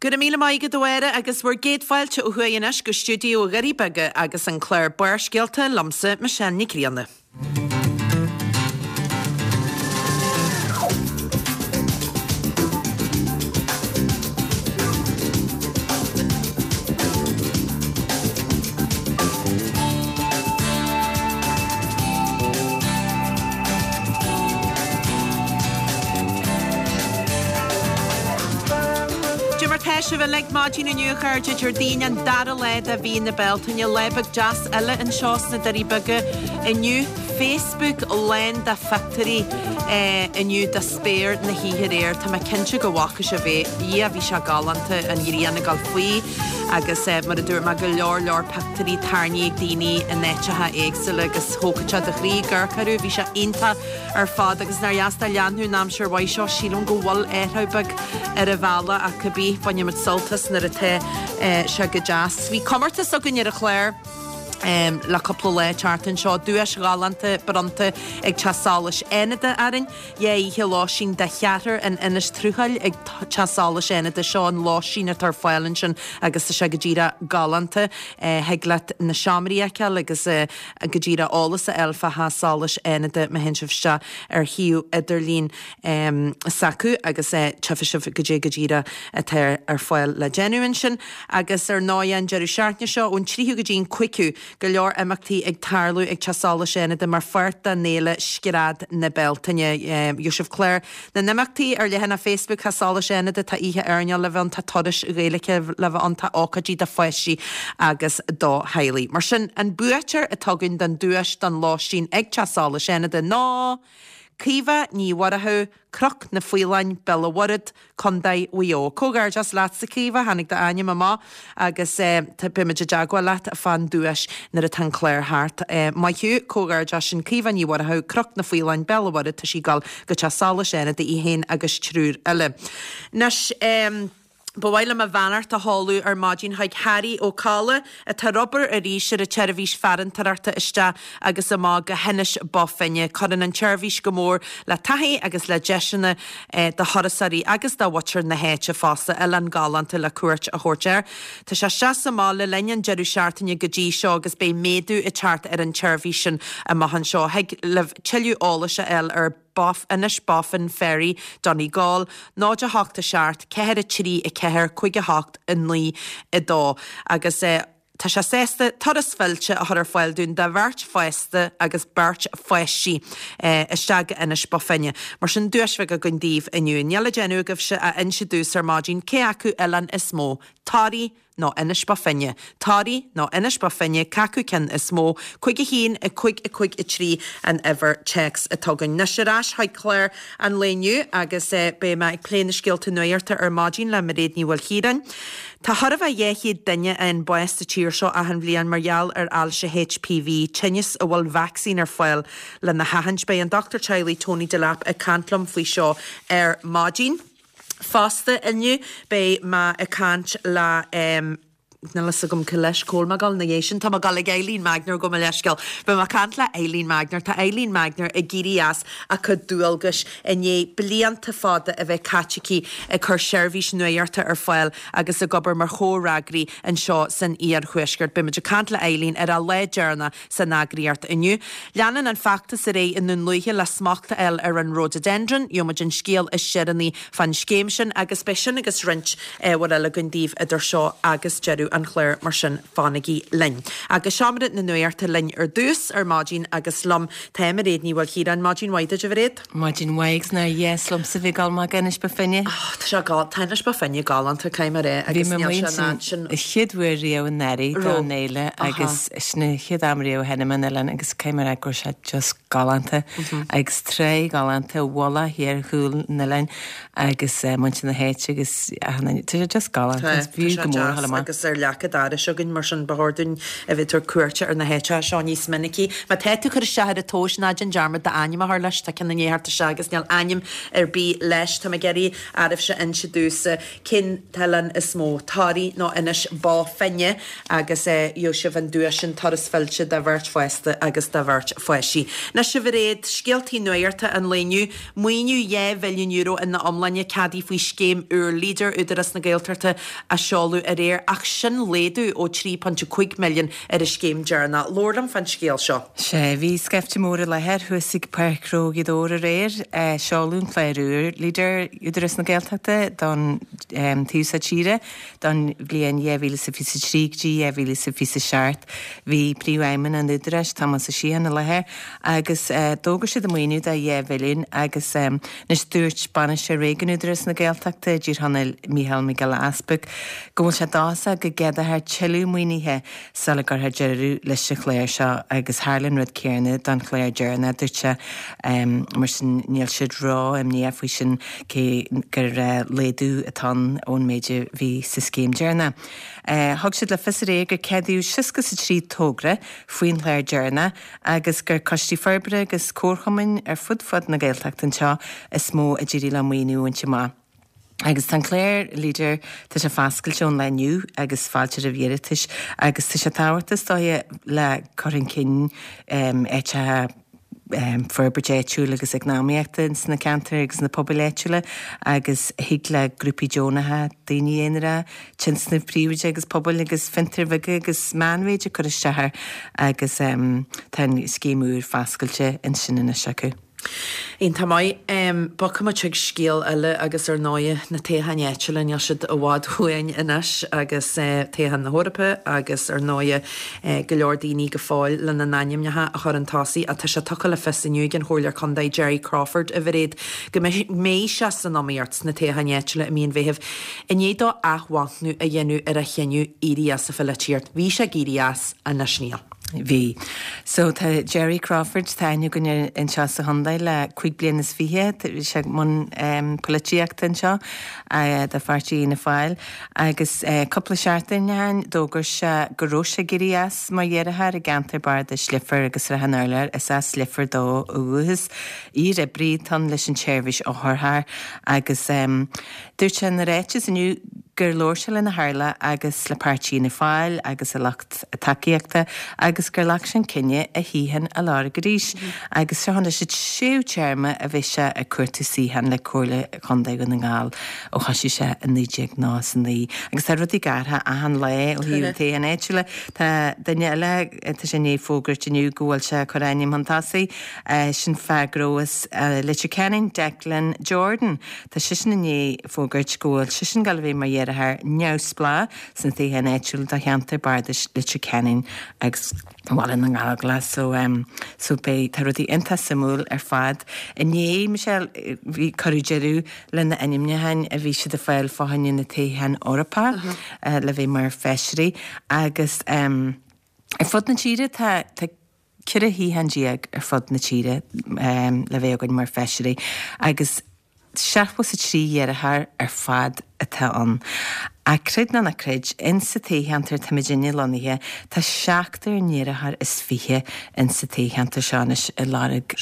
Go raibh míle maith agat a Mháire agus bhur gcéad fáilte ó thuaidh anois go stiúideo Dhoirí Beaga agus an clár Barrscéalta liomsa Michelle Nic Grianna. Cad é mar tá sibh uilig maidin inniu a chairde, Déardaoin an dara lá de mhí na Bealtaine, lá beag deas eile anseo sna Doirí Beaga inniu. Facebook lán de phictiúirí inniu de spéir na hoíche aréir. Tá mé cinnte go bhfaca sibh é. Dhia, bhí sé galánta, an ghrian ag dul faoi agus mar a dúirt mé, go leor leor pictiúirí tarraingthe ag daoine in áiteacha éagsúla agus thógfadh sé do chroí ag amharc orthu. Bhí sé iontach ar fad agus nár dheas dá leanfadh an aimsir mhaith seo. Sílim go bhfuil athrú beag ar an bhealach ach cibé, bainfimid sult as nuair atá sé go deas. Bhí comórtas againn ar an chlár. Le cúpla lá thart anseo, duais ghalánta bronnta ag Teach Solais Fhánada orainn. Dhá oíche lóistín do cheathrar in Inis Truachail ag Teach Solais Fhánada. Seo an lóistín atá ar fáil ansin agus tá sé go díreach galánta. Thig leat na seomraí a fheiceáil agus go díreach eolas a fháil fá Theach Solais Fhánada má théann sibh isteach ar shuíomh idirlín s'acu agus tchífidh sibh goidé go díreach atá ar fáil le déanamh ansin. Agus ar ndóigh an deireadh seachtaine seo, ón tríú go dtí an cúigiú, go leor imeachtaí ag tarlú ag Teach Solais Fhánada mar pháirt den fhéile Scread na Bealtaine. Gheobhaidh sibh clár na n-imeachtaí ar leathanach Facebook Theach Solais Fhánada, tá oíche airneáil le bheith ann, tá turais Ghaeilge le bheith ann, tá ócáidí do pháistí agus do theaghlaigh. Mar sin, an buaiteoir atá againn don duais don lóistín ag Teach Solais Fhánada ná Caoimhe Ní Mhurchú, Cnoc na Faoileáin, Béal an Mhuirthead, Contae Mhaigh Eo. Comhghairdeas leatsa Caoimhe, tháinig d'ainm amach agus beimid i dteagmháil leat fán duais nuair atá an clár thart. Maith thú, comhghairdeas sin Caoimhe Ní Mhurchú, Cnoc na Faoileáin, Béal an Mhuirthead, tá sí ag dul go Teach Solais Fhánada í féin agus triúr eile. Anois. Ba mhaith liom mo bheannacht a sheoladh ar maidin chuig Harry Ó Cadhla atá ar obair arís ar an tseirbhís farantóireachta isteach agus amach go hInis Bó Finne. Cuireann an tseirbhís go mór le taithí agus le deiseanna do thurasóirí agus do mhuintir na háite fosta, oileán galánta le cuairt a thabhairt air. Tá sé isteach is amach le linn an deireadh seachtaine go dtí seo agus beidh méadú ag teacht ar an tseirbhís sin amach anseo. Thig libh tuilleadh eolais a fháil ar. Bof, Inishbofin Ferry, Donegal, 0 8 7 4 3 4 5 8 9 2 agus tá sé sásta turas fillte a chur ar fáil dúinn do bheirt fásta agus beirt pháistí isteach go Inis Bó Finne. Mar sin duais bheag againn daoibh inniu. Níl le déanamh agaibhse ach inse domhsa ar maidin cé acu oileán is mó, Toraigh nó Inis Bó Finne. Toraigh nó Inis Bó Finne, cé acu ceann is mó? 5 1 5 5 3 an uimhir téacs atá againn. Anois ar ais chuig clár an lae inniu agus beidh mé ag plé na scéalta nuachta ar maidin le Mairéad Ní Mhaoilchiaráin. Tá chóir a bheith 200 duine a fhaigheann bás sa tír seo achan bhliain mar gheall ar ailse HPV, tinneas a bhfuil vacsaín ar fáil lena sheachaint. Beidh an Dochtúir Teaghlaigh Tony Delap ag caint liom faoi seo ar maidin. Fosta inniu beidh mé ag caint le níl fhios agam cé leis cá bhfuil mé ag dul ina dhiaidh sin, tá mé ag dul ag Eileen Magner gabh mo leithscéal. Beidh mé ag caint le Eileen Magner. Tá Eileen Magner ag éirí as a cuid dualgais i ndiaidh blianta fada a bheith caite aici ag cur seirbhís nuachta ar fáil agus ag obair mar chomhfhreagraí anseo san iarthuaisceart. Beidh muid ag caint le Eileen ar a lá deireanach san eagraíocht inniu. Leanann an feachtas ar aghaidh i nDún Lúiche le smacht a fháil ar an Rhododendron. Gheobhaidh muid an scéal is deireanaí fán scéim sin agus beidh sin agus roinnt ábhair eile againn daoibh idir seo agus deireadh an chláir mar sin fanaigí linn. Agus Seomra na Nuachta linn ar dtús ar maidin agus liom tá Mairéad Ní Mhaoilchiaráin. Maidin mhaith duit a Mhairéad. Maidin mhaith agus nár dheas liomsa bheith ag dul amach go Inis Bó Finne. Oh, tá sé gal, tá Inis Bó Finne galánta, caithfidh mé a rá, agus níl sé an áit sin. Bhí mé chéad uair riamh anuraidh don fhéile agus sin an chéad am riamh a tháinig mé an oileán agus caithfidh mé a rá go raibh sé just galánta agus trá galánta, mhullach thiar chúl an oileáin agus muintir na háite agus achan duine, tá sé just galánta, is fiú go mór a dhul amach. Agus ar. leac an dorais againn, mar sin ba chóir dúinn a bheith ag tabhairt cuairte ar na háiteacha seo níos minicí. Má tá tú ag cur isteach ar an tomhas, ná déan dearmad d'ainm a chur leis, tá ceann i ndiaidh theacht isteach agus níl ainm ar bith leis. Tá mé ag iarraidh oraibhse inse domhsa cén t-oileán is mó, Toraigh nó Inis Bó Finne, agus gheobhaidh sibh an duais sin, turas fillte do bheirt fásta agus do bheirt pháistí. Anois a Mhairéad, scéaltaí nuachta an lae inniu. Maoiniú €2 mhilliún ina iomláine ceadaithe faoi scéim úr Leader Údarás na Gaeltachta a seoladh aréir ach sin laghdú ó 3.5 milliún ar an scéim deireanach. Labhair liom fán scéal seo. Sea, bhí scaifte mór i láthair thuas ag Páirc Ghnó Ghaoth Dobhair aréir. Seoladh an clár úr Leader Údarás na Gaeltachta don taobh seo tíre don bhliain 2023 go dtí 2027. Bhí Príomhfheidhmeannach an Údaráis, Tomás Ó Síocháin, i láthair agus d'fhógair siad an maoiniú de 2 mhilliún agus anois dúirt Bainisteoir Réigiúin Údarás na Gaeltachta i dTír Chonaill, Mícheál Mac Giolla Easbuig, go bhfuil sé dóchasach go gceadófar tuilleadh maoinithe sula gcuirfear deireadh leis an chlár seo agus tharla an rud céanna don chlár deireanach, dúirt sé. Mar sin níl siad ró-imníoch faoi sin cé gur laghdú atá ann ón méid a bhí sa scéim deireanach. Thug siad le fios aréir gur ceadaíodh 63 togra faoin chlár deireanach agus gur coistí forbartha agus comharchumainn ar fud fad na Gaeltachta anseo is mó a d'éirigh leo maoiniú a bhaint amach. Agus tá an clár Leader, tá sé foscailte ón lá inniu agus fáilte roimh iarratais agus tá sé tábhachtach is dóiche le cur chun cinn áiteacha, forbairt áitiúil agus eacnamaíochta ins na ceantair agus na pobail áitiúla agus thig le grúpaí deonacha, daoine aonaracha, tionscnaimh príobháideacha agus pobail agus fiontair bheaga agus meánmhéide cur isteach air agus tá an scéim úr foscailte ansin anois acu. Iontach maith. Bogfaidh muid chuig scéal eile agus ar ndóighe na toghcháin áitiúla, níl siad i bhfad uainn anois agus toghcháin na hEorpa agus ar ndóighe go leor daoine go fóill lena n-ainmneacha a chur chun tosaigh ach tá sé tugtha le fios inniu ag an Chomhairleoir Contae Jerry Crawford, a Mhairéad, go mbeidh sé san iomaíocht sna toghcháin áitiúla i mí an Mheithimh i ndiaidh dó athmhachnamh a dhéanamh ar a chinneadh éirí as an pholaitíocht. Bhí sé ag éirí as, anois níl. Bhí. So tá Jerry Crawford, tá aithne againn air anseo sa chontae le 25 bliana, bhí sé i mbun polaitíochta anseo do pháirtí Fhianna Fáil agus cúpla seachtain ó shin d'fhógair sé go raibh sé ag éirí as mar iarrthóir i gceantar bardais Leifear agus Srath an Urláir. Is as Leifear dó ó dhúchas. Iar-oibrí atá ann leis an tseirbhís otharcharr agus dúirt sé ina ráiteas inniu gur labhair sé lena theaghlach agus le páirtí Fhianna Fáil agus a lucht tacaíochta agus gur ghlac sé an cinneadh a shuíochán a lorg arís agus seo anois an séú téarma a bheidh sé ag cuartú suíochán le Comhairle Chontae Dhún na nGall ó thoisigh sé i 1999. Agus tá rudaí ag athrú achan lá ó thaobh an toghcháin áitiúla. Tá duine eile, tá sé i ndiaidh fógairt inniu go bhfuil sé ag cur a ainm chun tosaigh, sin fear gnó as Leitir Ceanainn, Declan Jordan. Tá seisean i ndiaidh fógairt go bhfuil seisean ag dul a bheith mar iarrthóir neamhspleách sna toghcháin áitiúla do cheantar bardais Leitir Ceanainn agus Bhaile na nGallóglach so so beidh tá rudaí iontach suimiúil ar fad. Inné, Michelle, bhí cuireadh deireadh le na ainmniúcháin a bhí siad ag fáil fá choinne na toghcháin Eorpach le bheith mar feisirí agus ar fud na tíre tá tá 14 shuíochán ar fud na tíre le bheith againn mar feisirí agus 73 iarrthóir ar fad atá ann. Ach creid nó ná creid, insa toghcheantar atá muidinne lonnaithe, tá seachtar n-iarrthóir is fiche insa toghcheantar seo anois ag lorg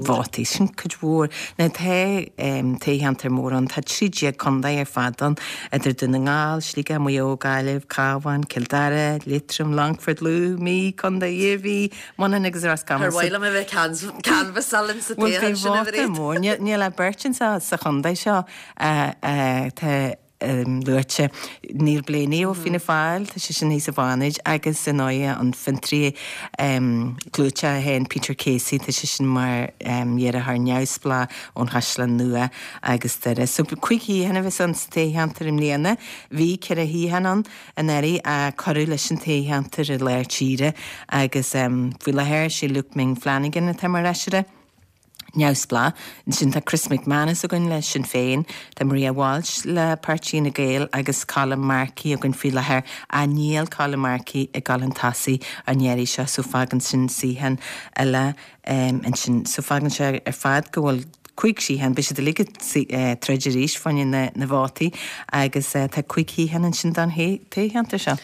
vótaí. Sin cuid mhór. Now tá toghcheantar mór ann, tá 13 contae ar fad ann, idir Dún na nGall, Sligeach, Maigh Eo, Gaillimh, Cabhán, Cill Dara, Liatroim, Longfort, Lú, Mí, Contae Iarmhí, Muineachán agus Ros Comáin. Ar mhaith liom a bheith ag canbhasáil insa toghchán sin a Mhairéad? Bhuel beidh vóta mór. Níl ach beirt anseo sa chontae seo atá luaite. Neil Blaney ó Fianna Fáil, tá seisean thíos i bhFánaid agus ar ndóighe an fiontraí clúiteach féin Peter Casey, tá seisean mar iarrthóir neamhspleách ón Chaisleán Nua agus Doire. So 5 shuíochán a bheas ann sa toghcheantar i mbliana. Bhí 4 shuíochán ann anuraidh ach cuireadh leis an toghcheantar i lár tíre agus faoi láthair sé Luke Ming Flanagan atá mar fheisire neamhspleách. Ansin tá Chris McManus againn le Sinn Féin, tá Maria Walsh le Páirtí Fhine Gael agus Colm Markey againn faoi láthair ach níl Colm Markey ag dul chun tosaigh an iarraidh seo so fágann sin suíochán eile ansin. So fágann sé ar fad go bhfuil. 5 shuíochán, beidh siad uilig ag troid arís fá choinne na vótaí agus tá 5 shuíochán ansin don toghcheantar seo.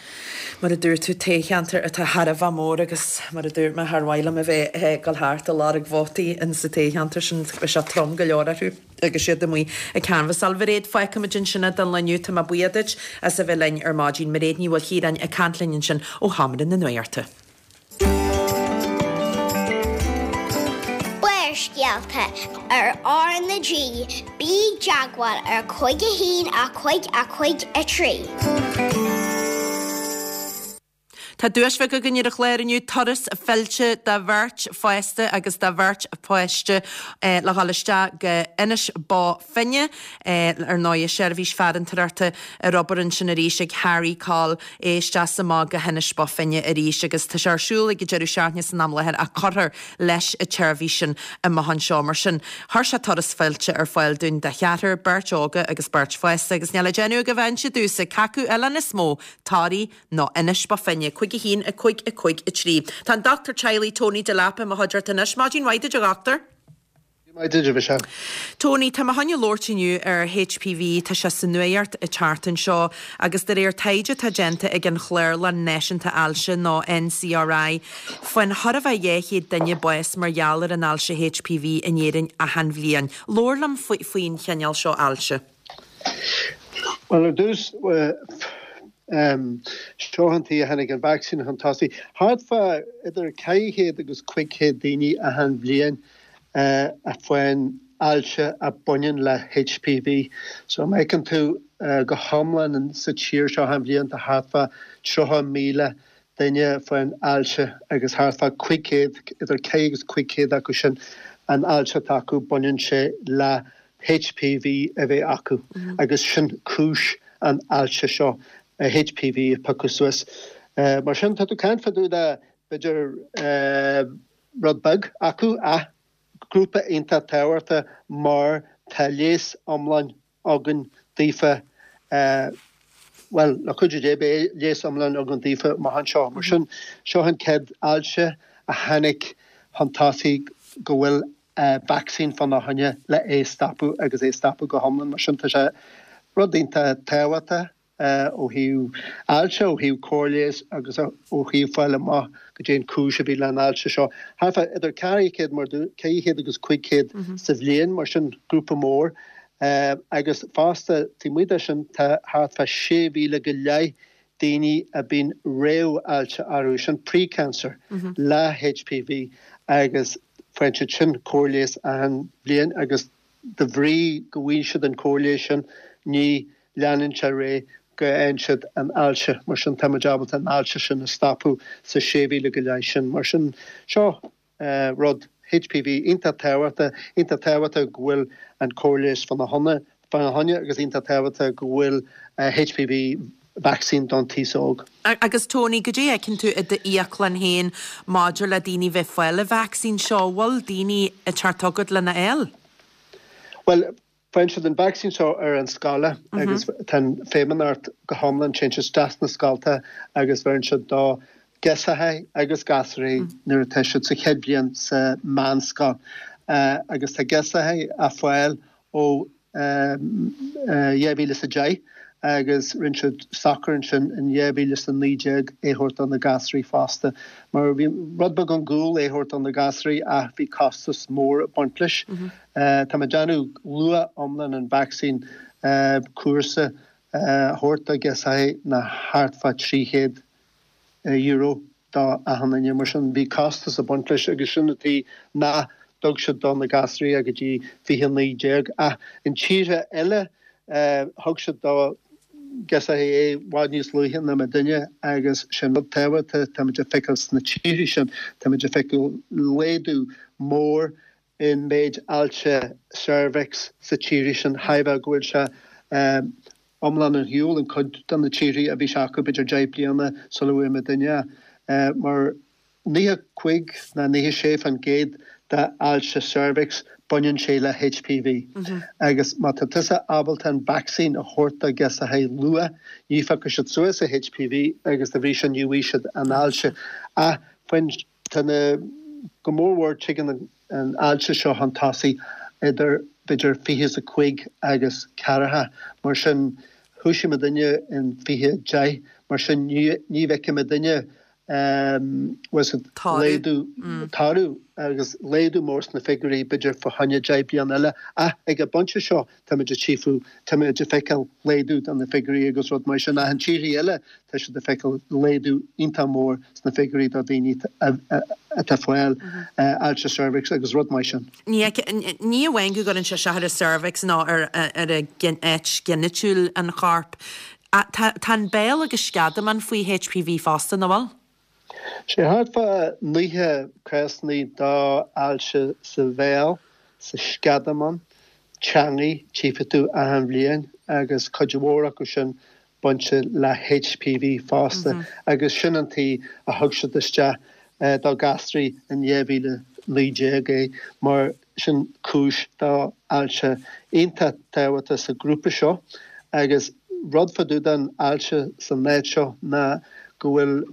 Mar a dúirt tú, toghcheantar atá thar a bheith mór agus mar a dúirt mé, char mhaith liom a bheith ag dul thart ag lorg vótaí in sa toghcheantar sin, beidh sé trom go leor orthu agus iad amuigh ag canbhasáil. Mhairéad, fágfaimid ansin é don lá inniu, tá mé buíoch duit as a bheith linn ar maidin. Mairéad Ní Mhaoilchiaráin ag caint linn ansin ó Sheomra na Nuachta. Barrscéalta ar R na G, bí i dteagmháil ar 5 1 5 5 3. Tá duais bheag againn ar an chlár inniu, turas fillte do bheirt fásta agus do bheirt pháiste le dhul isteach go Inis Bó Finne. Ar ndóighe, seirbhís farantóireachta ar obair ansin arís ag Harry Coll, é isteach is amach go hInis Bó Finne arís agus tá sé ar siúl ag an deireadh seachtaine san am láthair ach cuirfear leis an tseirbhís sin amach anseo. Mar sin, chuir sé turas fillte ar fáil dúinn do cheathrar, beirt óga agus beirt fásta agus níl le déanamh agaibh ach inse domhsa cé acu oileán is mó, Toraigh nó Inis Bó Finne, 5 1 5 5 3. Tá an Dochtúir Teaghlaigh Tony Delap i mo chuideachta anois. Maidin mhaith duit a dhochtúir. Maith duit, a Mhichelle. Tony, tá mé chun labhairt inniu ar HPV, tá sé sa nuaíocht an tseachtain seo agus de réir taighde atá déanta ag an Chlárlann Náisiúnta Ailse nó NCRI, faigheann chóir a bheith 200 duine bás mar gheall ar an ailse HPV in Éirinn achan bhliain. Labhair liom faoin chineál seo ailse. Bhuel, ar dtús, seo an tuige a tháinig an vacsaín chun tosaigh. Thart fá idir 400 agus 500 daoine achan bhliain a faigheann ailse a baineann le HPV. So má fheiceann tú go hiomlán sa tír seo achan bhliain tá thart fá 30,000 duine a faigheann ailse agus thart fá 500, idir 400 agus 500 acu sin an ailse atá acu baineann sé le HPV a bheith acu agus sin cúis an ailse seo, HPV a piocadh suas. Mar sin tá tú ag caint fá dtaobh de b'fhéidir rud beag acu ach grúpa iontach tábhachtach mar tá leigheas iomlán againn daofa, bhuel, le cuidiú Dé beidh leigheas iomlán againn daofa amach anseo. Mar sin, seo an chéad ailse a tháinig chun tosaigh go bhfuil vacsaín fána choinne le é a stopadh agus é a stopadh go hiomlán. Mar sin tá sé rud iontach tábhachtach ó thaobh ailse, ó thaobh cóir leighis agus ó thaobh fáil amach goidé an cúis a bhí le an ailse seo. Thart fá idir 400 mar 400 agus 500 sa bhliain, mar sin grúpa mór. Agus fosta taobh amuigh de sin tá thart fá 6,000 go leith daoine a bíonn réamh-ailse orthu, sin pre-cancer, le HPV agus faigheann siad sin cóir leighis achan bhliain agus de bhrí go bhfaigheann siad an cóir leighis sin ní leanann sé ar aghaidh go bhfaigheann siad an ailse, mar sin tá muid ábalta an ailse sin a stopadh sa 6,000 go leith sin. Mar sin seo rud, HPV, iontach tábhachtach, iontach tábhachtach go bhfuil an cóir leighis fána choinne agus iontach tábhachtach go bhfuil HPV vaccine don taos óg. Agus Tony, goidé a fheiceann tú i d'íoclann féin maidir le daoine bheith fáil an vacsaín seo, bhfuil daoine ag teacht chugat lena fháil? Bhuel, Faigheann siad an vacsaín seo ar an scoil agus tá an feidhmeannacht go hiomlán, téann siad isteach sna scolta agus bheireann siad do ghirseachaí agus gasúraí nuair atá siad sa chéad bhliain sa meánscoil agus tá girseachaí á fáil ó 2010 agus rinne siad socair ansin in 2019 é a thabhairt do na gasúraí fosta mar bhí rud beag angúil é a thabhairt do na gasúraí ach bhí costas mór ag baint leis. Tá mé ag déanamh luach iomlán an vacsaín cúrsa a thabhairt do ghirseachaí ná thart fá €300 do achan duine. Mar sin bhí costas ag baint leis agus sin an tuige nach dtug siad do na gasúraí go dtí 2019. Ach in tíortha eile thug siad do ghirseachaí é i bhfad níos luaithe ná muidinne agus sin rud tábhachtach, táimid ag feiceáil sna tíortha sin, táimid ag feiceáil laghdú mór in méid ailse ceirbheacs sa tíortha sin, chreidfeá go bhfuil sé iomlán ar shiúl in cuid de na tíortha a bhí sé acu b'fhéidir 10 bliana sula bhfuair muidinne é, mar 95 ná 96% de ailse ceirbheacs baineann sé le HPV agus má tá tusa ábalta an vacsaín a thabhairt do ghirseachaí luath ní phiocfaidh siad suas an HPV agus dá bhrí sin ní bhfaighidh siad an ailse ach faoin Tá na, go mór mhór tigeann an ailse seo chun tosaigh idir b'fhéidir 25 agus ceathracha, mar sin thoisigh muidinne in 2010, mar sin ní bhfeicfidh muidinne laghdú, toradh agus laghdú mór sna figiúirí b'fhéidir fá choinne 10 bliain eile ach ag an bpointe seo táimid ag tchífiú, táimid ag feiceáil laghdú de na figiúirí agus rud mar sin ach in tíorthaí eile tá siad ag feiceáil laghdú iontach mór sna figiúirí do dhaoine atá ag fáil ailse cervix agus rud mar sin. Ní amháin go gcuireann sé isteach ar an cervix nó ar áit ghinitiúil an choirp, Tá an béal agus sceadamán faoi HPV fosta, nach bhfuil? Sé thart fá 90 cásanna d'ailse sa bhéal, sa sceadamán, teangaidh, tchífidh tú achan bhliain agus cuid mhór acu sin bainte le HPV fosta agus sin an tuige a thug siad isteach do ghasraí in 2019 é mar Sin cúis d'ailse iontach tábhachtach sa ghrúpa seo agus rud fá dtaobh den ailse san áit seo ná go bhfuil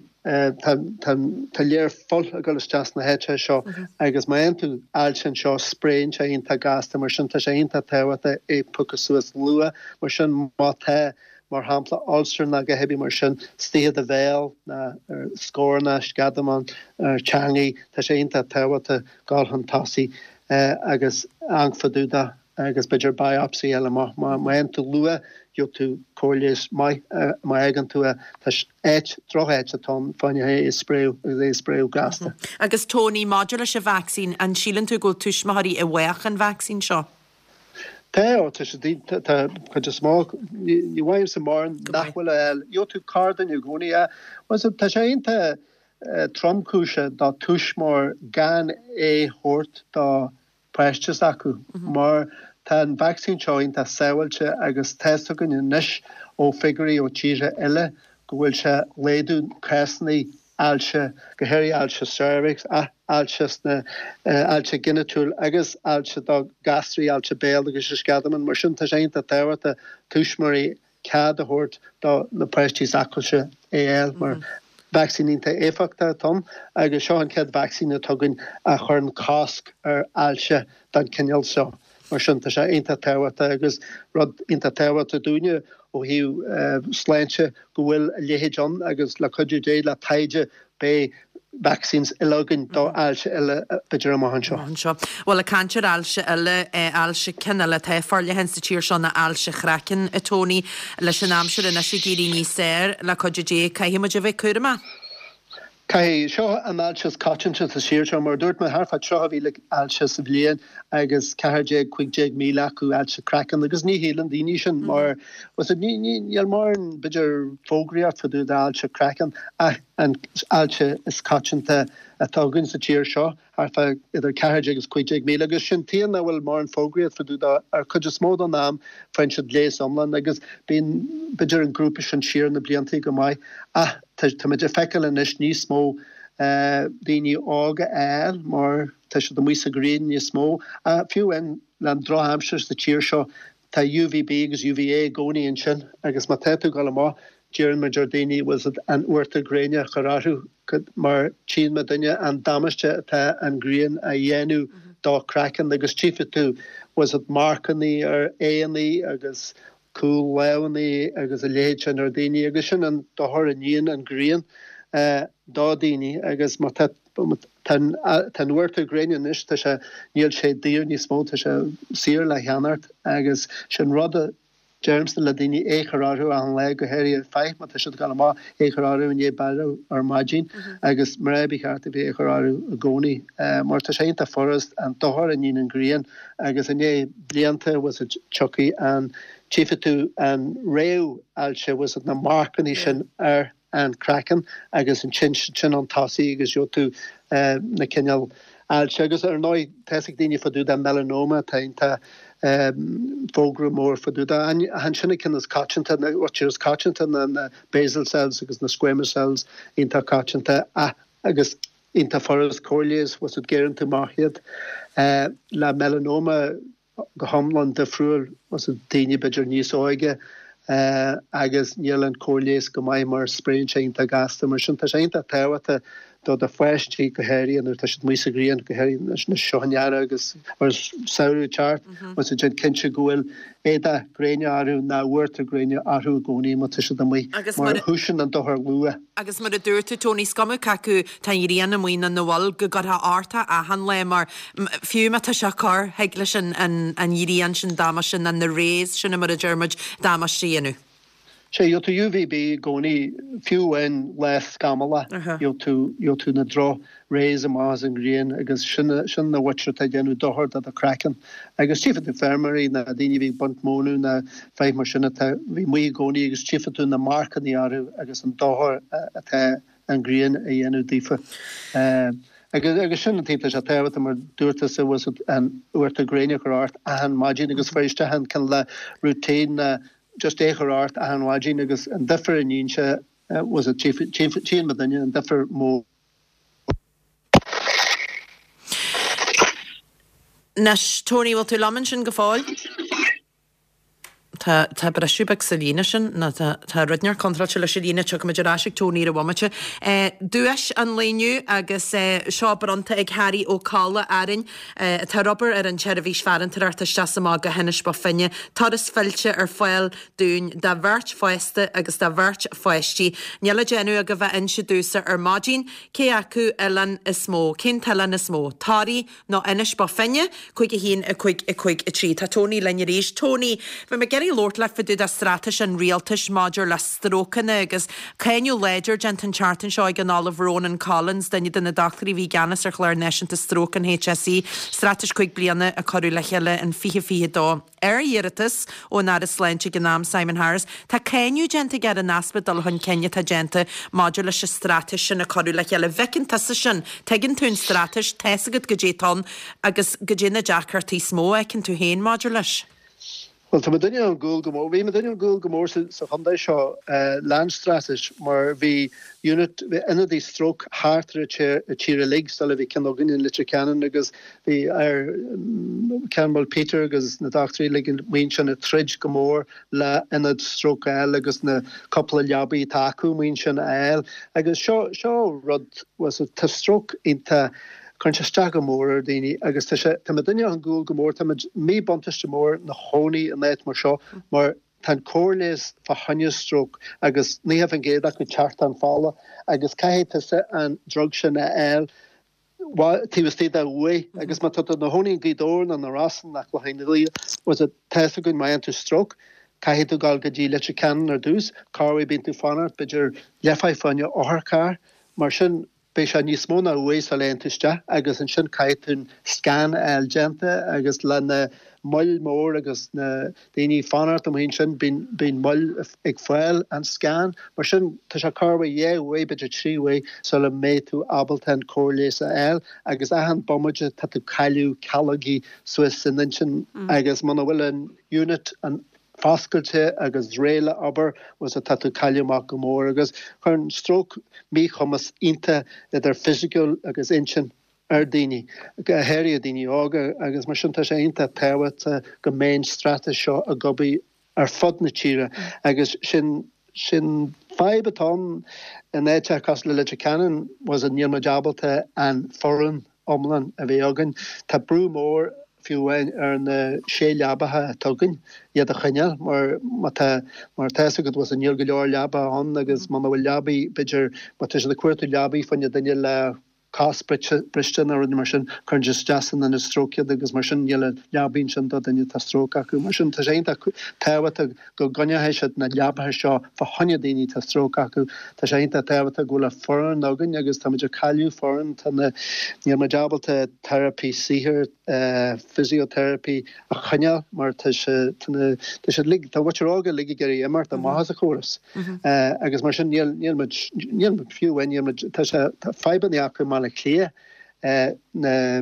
tá tá léar fuil ag dul isteach sna háiteacha seo agus má fhaigheann tú ailse anseo spréann sé iontach gasta mar sin tá sé iontach tábhachtach é piocadh suas luath mar sin má tá mar shampla ulcer ná a dhath ar bith mar sin istigh i do bhéal ná ar scornach, sceadamán, ar teangaidh tá sé iontach tábhachtach dul chun tosaigh agus amharc fá dtaobh de agus b'fhéidir biopsy a fháil amach. Má fhaigheann tú luath, gheobhaidh tú cóir leighis maith. Má fhágann tú é, tá áit, droch-áit atá ann fá choinne é a spréadh agus é a spréadh gasta. Agus Tony, maidir leis an vacsaín, an síleann tú go bhfuil tuismitheoirí i bhfách an vacsaín seo? Tá, ó, tá sé, tá cuid is mó, ní mhaímse mórán nach bhfuil a fháil. Gheobhaidh tú corrduine i gcónaí. Tá sé iontach tromchúiseach do tuismitheoir gan é thabhairt do pháiste s'acu mar tá an vacsaín seo iontach sábháilte agus tá's againn anois ó figiúirí ó tíortha eile go bhfuil sé laghdú cásanna ailse, go háirithe ailse cervix, ailse sna ailse ghinitiúil agus ailse do ghasraí, ailse béil agus sceadamán. Mar sin tá sé iontach tábhachtach tuismitheoirí cead a thabhairt do na páistí s'acusa é a fháil mar vacsaín iontach éifeachtach atá ann agus seo an chéad vacsaín atá againn a chuireann cosc ar ailse den chineál seo. Mar sin tá sé iontach tábhachtach agus rud iontach tábhachtach dúinne ó thaobh sláinte go bhfuil a leithéid ann agus le cuidiú Dé le taighde beidh vaccines eile againn do ailse eile b'fhéidir amach anseo. Amach anseo. Bhuel, ag caint ar ailse eile, ailse ceann eile atá forleathan sa tír seo ná ailse chraicinn, a Tony. Leis an aimsir anois ag éirí níos fearr, le cuidiú Dé, caithfidh muid a bheith cúramach. Caithfidh. Seo an ailse is coitianta sa tír seo. Mar a dúirt mé, thart fá 30,000 ailse sa bhliain agus 14, 15,000 acu ailse craicinn agus ní shíleann daoine sin mar, níl mórán, b'fhéidir, fógraíocht fá dtaobh d'ailse craicinn ach an ailse is coitianta atá againn sa tír seo, thart fá idir 14 agus 15,000, agus sin tuige nach bhfuil mórán fógraíocht fá dtaobh de, ar cuid is mó den am faigheann siad leigheas iomlán agus bíonn b'fhéidir an grúpa sin siar na blianta go maith ach táimid ag feiceáil anois níos mó daoine óga á fháil mar tá siad amuigh sa ghrian níos mó ach fiú amháin le an drochaimsir sa tír seo Tá UVB agus UVA i gcónaí ansin agus má tá tú ag dul amach, deireann muid ar daoine bhfuil 's agat an uachtar gréine a chur orthu mar tchíonn muidinne an damáiste atá an ghrian a dhéanamh do craiceann agus tchífidh tú bhfuil 's agat marcannaí ar aghaidheannaí agus cúl lámhannaí agus a leithéid sin ar daoine agus sin an dochar a níonn an ghrian do daoine agus má tá Tá an uachtar gréine anois, tá sé, níl sé daor níos mó, tá sé saor le cheannacht agus sin rud a deirimse le daoine, é chur orthu achan lá, go háirithe fir, má tá siad ag dul amach, é chur orthu i ndiaidh beirthe ar maidin agus mná ba cheart a bheith é chur orthu i gcónaí mar tá sé iontach furast an dochar a níonn an ghrian agus i ndiaidh blianta bhfuil 's agat tiocfaidh an, tchífidh tú an réamh-ailse bhfuil 's agat na marcannaí sin ar an craiceann agus ansin sin an tosaí agus gheobhaidh tú na cineál ailse agus ar ndóigh tá's ag daoine fá dtaobh de melanoma tá iontach fógra mór fá dtaobh de ach ansin an ceann is coitianta na rud is coitianta ná na basal cells agus na squamous cells iontach coitianta ach agus iontach furast cóir leighis bhfuil 's agat gearrann tú amach iad le melanoma go hiomlán difriúil bhfuil 's agat daoine b'fhéidir níos óige agus níl an cóir leighis go maith mar spréann sé iontach gasta. Mar sin tá sé iontach tábhachtach. Do do pháistí, go háirithe nuair atá siad amuigh sa ghrian, go háirithe anois seo an earrach agus an samhradh ag teacht, bhfuil déan cinnte go bhfuil éadach gréine orthu ná uachtar gréine orthu i gcónaí má tá siad amuigh, mar dhúisíonn an dochar luath. Agus mar a dúirt tú, Tony, is cuma cé acu tá an ghrian amuigh nó nach bhfuil, go gcuirfeá ort é achan lá mar fiú má tá sé corr, thig leis an ghrian sin damáiste nó na rays sin mar a deir muid, damáiste a dhéanamh. Sea, gheobhaidh tú UVB i gcónaí, fiú amháin lá scamallach, gheobhaidh tú, gheobhaidh tú na droch rays amach as an ghrian agus sin, sin na mhuintir atá ag déanamh dochar do do chraiceann. Agus tchífidh tú feirmeoirí ná daoine a bhí ag baint mónadh ná fáith mar sin atá, bhí amuigh i gcónaí agus tchífidh tú na marcannaí orthu agus an dochar atá an ghrian a dhéanamh daofa. Agus, agus sin an taobh tá sé tábhachtach mar dúirt tusa, bhfuil fhios agat, an uachtar gréine a chur ort achan maidin agus faigh isteach an cineál de routine ná just é a chur ort achan mhaidin agus an difear a níonn sé was it tchíonn mo dhuine an difear mór. Anois, Tony, bhfuil tú liom ansin go fóill? Tá, tá briseadh beag sa líne sin, nó tá, tá rud inteacht contráilte leis an líne, tiocfaimid ar ais ag Tony ar an bhomaite. Duais an lae inniu agus seo bronnta ag Harry Ó Colla Árainn. atá ag obair ar an tseirbhís farantóireachta isteach is amach go hInis Bó Finne, turas fillte ar fáil dúinn do bheirt fásta agus do bheirt pháistí. Níl le déanamh agaibh ach inse domhsa ar maidin cé acu oileán is mó, cén t-oileán is mó, Toraigh nó Inis Bó Finne? 5 1 5 5 3. Tá Tony linn arís. Tony, bhí mé ag iarraidh labhairt leat fá dtaobh de straitéis an rialtais maidir le strócanna agus cáineadh láidir déanta an tseachtain seo ag an Ollamh Ronan Collins, duine de na dochtúirí a bhí i gceannas ar chlár náisiúnta stróc an HSE, straitéis 5 bliana a cuireadh le chéile in 2022 ar iarratas ón Aire Sláinte ag an am, Simon Harris. Tá cáineadh déanta aige ar an easpa dul chun cinn atá déanta maidir leis an straitéis sin a cuireadh le chéile. An bhfeiceann tusa sin? Tuigeann tú an straitéis, tá's agat goidé atá ann agus goidé na deacrachtaí is mó a fheiceann tú féin maidir leis. Bhuel, tá muidinne ar gcúl go mór, bhí muidinne ar gcúl go mór sa chontae seo leis an straitéis mar bhí unit, bhí ionadaí stróc thart ar an tír uilig sula bhí ceann againn in Leitir Ceanainn agus bhí ar ceann bhuel Peter agus na dochtúirí uilig amuigh ansin ag troid go mór le ionad stróc a fháil agus na cúpla leabaí atá acu amuigh ansin a fháil agus seo, seo rud, bhuel tá stróc iontach Cuireann sé isteach go mór ar dhaoine agus tá sé, tá muidinne ar gcúl go mór, tá muid míbhuntáiste mór 'na chónaí in áit mar seo mar tá an cóir leighis fá choinne stróc agus 90% acu teacht an fola agus caithfidh tusa an drug sin a fháil taobh istigh de uair agus má tá tú 'na chónaí i nGaoth Dobhair nó na Rosann nó Clochán Liath was it tá fhios againn má fhaigheann tú stróc caithfidh tú dul go dtí Leitir Ceanainn ar dtús, corruair bíonn tú fanacht b'fhéidir leathuair fá choinne otharcharr mar sin Beidh sé níos mó ná uair sula dtéann tú isteach agus ansin caithfidh tú an scan a fháil déanta agus le na moill mór agus na daoine ag fanacht amuigh ansin bíonn bíonn moill ag fáil an scan. Mar sin tá sé corruair dhá uair b'fhéidir 3 uair sula mbeidh tú ábalta an cóir leighis a fháil agus achan bomaite tá tú cailleadh calógaí suas san intinn agus muna bhfuil an unit an foscailte agus réidh le obair agus tá tú cailleadh amach go mór agus cuireann stróc míchumas iontach idir fisiciúil agus intinn ar daoine, go háirithe daoine óga agus mar sin tá sé iontach tábhachtach go mbeidh an straitéis seo ag obair ar fud na tíre agus sin sin fadhb atá ann in áiteacha cosúil le Leitir Ceanainn was níl muid ábalta an foireann iomlán a bheith againn. Tá brú mór, fiú amháin, ar na sé leabacha atá againn, iad a choinneáil mar má tá, mar tá fhios agat, bhfuil níl go leor leaba ann agus muna bhfuil leabaí, b'fhéidir, má tá siad ag cuartú leabaí fá choinne duine le cos briste nó rudaí mar sin, cuireann siad isteach san ionad stróc iad agus mar sin níl leabaí ansin do duine atá stróc acu. Mar sin tá sé iontach tábhachtach go gcoinneoidh siad na leabacha seo fá choinne daoine atá stróc acu. Tá sé iontach tábhachtach go bhfuil an foireann againn agus táimid ag cailleadh foireann. Tá na, níl muid ábalta teiripí saothair, physiotherapy a choinneáil mar tá sé, tá na, tá siad uilig, tá muintir óga uilig ag iarraidh imeacht amach as an chóras. Agus mar sin níl, níl muid, níl muid fiú amháin, níl muid, tá sé, tá fadhbanna acu i mBaile Átha Cliath na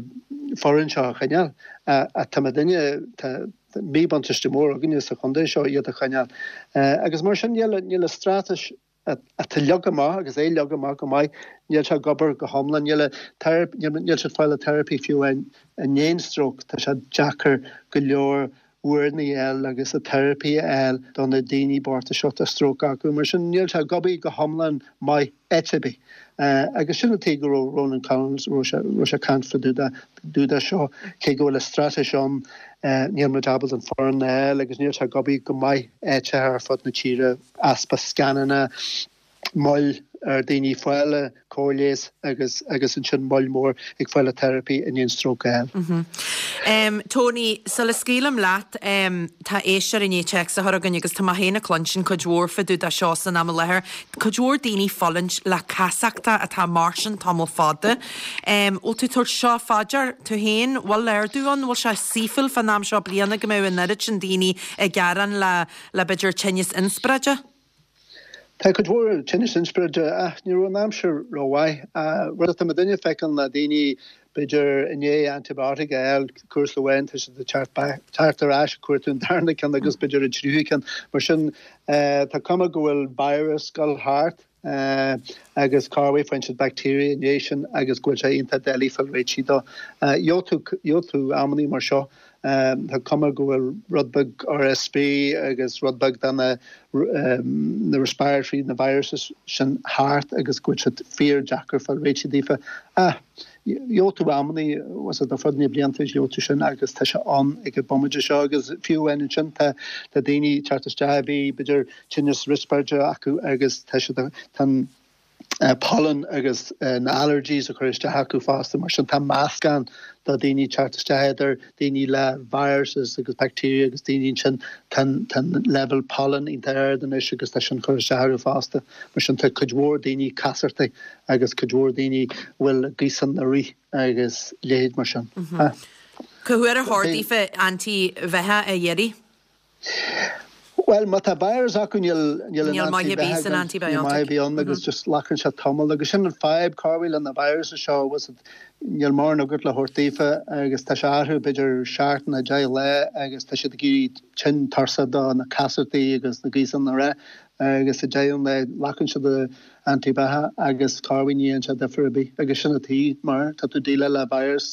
foireann seo a choinneáil. Ach tá muidinne, tá, míbhuntáiste mór againne sa chontae seo iad a choinneáil. Agus mar sin níl níl an straitéis atá leagtha amach agus é leagtha amach go maith, níl sé ag obair go hiomlán, níl níl siad ag fáil an teiripí fiú amháin i ndiaidh stróc, tá sé deacair go leor. foireann a fháil agus an teiripí a fháil do na daoine bochta seo atá stróc acu. Mar sin níl sé ag obair go hiomlán maith áit ar bith. Agus sin an tuige go raibh Ronan Collins, raibh sé, raibh sé ag caint fá dtaobh de seo, cé go bhfuil an straitéis ann, níl muid ábalta an foireann a fháil agus níl sé ag obair go maith áiteacha ar fud na tíre, easpa scananna, moill ar daoine fáil an cóir leighis agus agus ansin moill mór ag fáil an teiripí i ndiaidh an stróc a fháil. Tony, sula scaoilim leat, tá éisteoir i ndiaidh téacs a chur chugainn agus tá mé féin ag cluinstin cuid mhór fá dtaobh de seo san am i láthair, cuid mhór daoine ag fulaingt le casachta atá mar sin tamall fada. Bhfuil tú ag tabhairt seo fá dear tú féin? Bhfuil ardú ann? Bhfuil sé saoithiúil fán am seo bliana go mbeadh an oiread sin daoine ag gearán le le b'fhéidir tinneas inspioráide? Tá cuid mhór tinneas inspioráide ach ní raibh an aimsir rómhaith. Rud atá muidinne ag feiceáil ná daoine b'fhéidir i ndiaidh antibiotic a fháil cúrsa amháin tá siad ag teacht ar ais ag cuartú an darna ceann agus b'fhéidir an tríú ceann. Mar sin tá cuma go bhfuil virus ag dul thart agus corruair faigheann siad bacteria i ndiaidh sin agus go bhfuil sé iontach doiligh fáil réitithe dó. Gheobhaidh tú amannaí mar seo Tá cuma go bhfuil rud beag RSV agus rud beag de na na respiratory, na viruses sin thart agus go bhfuil siad fíor deacair fáil réitithe daofa. Ach gheobhaidh tú amannaí, was it, ar fud na blianta gheobhaidh tú sin agus tá sé ann ag an bomaite seo agus fiú amháin ansin tá tá daoine ag teacht isteach a bhí b'fhéidir tinneas riospráide acu agus tá siad tá an pollen agus na allergies ag cur isteach acu fosta, mar sin tá meascán de daoine ag teacht isteach idir daoine le viruses agus bacteria agus daoine ansin tá an leibhéal pollen iontach ard anois agus tá sin ag cur isteach orthu fosta. Mar sin tá cuid mhór daoine casartaí agus cuid mhór daoine a bhfuil gaothán ag rith agus leithéid mar sin. Cá huair ar chóir daofa antaibheathach a iarraidh? Bhuel, má tá virus acu níl níl an maith ar bith san antibiotic. Níl maith ar bith ann agus just glacann sé tamall agus sin an fadhb corruair le na viruses seo was it níl mórán agat le thabhairt daofa agus tá sé orthu b'fhéidir seachtain nó 10 lá agus tá siad ag éirí tinn tuirseach do na casartaí agus na gaothanna a rith agus sa deireadh an lae glacann siad antaibheathach agus corruair ní dhéanann sé difear ar bith agus sin an tuige mar tá tú déileáil le virus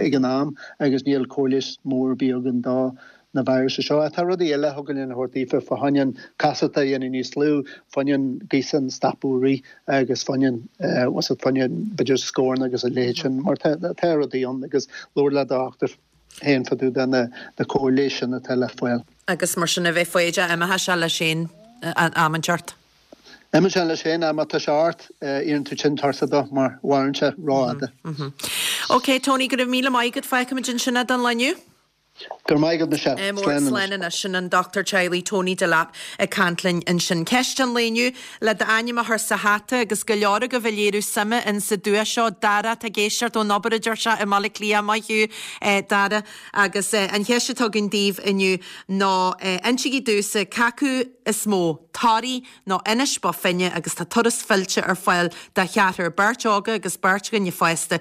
ag an am agus níl cóir leighis mór ar bith againn do na viruses seo. Ach tá rudaí eile a thugann lena thabhairt daofa fá choinne an casacht a dhéanamh níos lú, fá choinne an gaothán stopadh ag rith agus fá choinne an, what's it, fá choinne b'fhéidir scornach agus a leithéid sin mar tá tá rudaí ann agus labhair le do dhochtúir féin fá dtaobh de na na cóir leighis sin atá le fáil. Agus mar sin a bheith foighdeach imeoidh sé leis féin am inteacht. Imíonn sé leis féin, ach má tá sé ort, iarrann tú tinn tuirseach dó mar mhaireann sé rófhada. Ok, Tony, go raibh míle maith agat. Fágfaimid ansin é don lá inniu. Go raibh maith agat, Michelle. Mór, Slán anois. Slán anois. Sin an Dochtúir Teaghlaigh Tony Delap ag caint linn ansin. Ceist an lae inniu, le d'ainm a chur sa hata agus go leor agaibh ag léiriú suime in sa duais seo. Dara, atá ag éisteacht ón obair a deir sé i mBaile Átha Cliath. Maith thú, Dara. Agus an cheist atá againn daoibh inniu ná, insígí domhsa cé acu is mó, Toraigh nó Inis Bó Finne agus tá turas fillte ar fáil do cheathrar, beirt óga agus beirt dhuine fásta,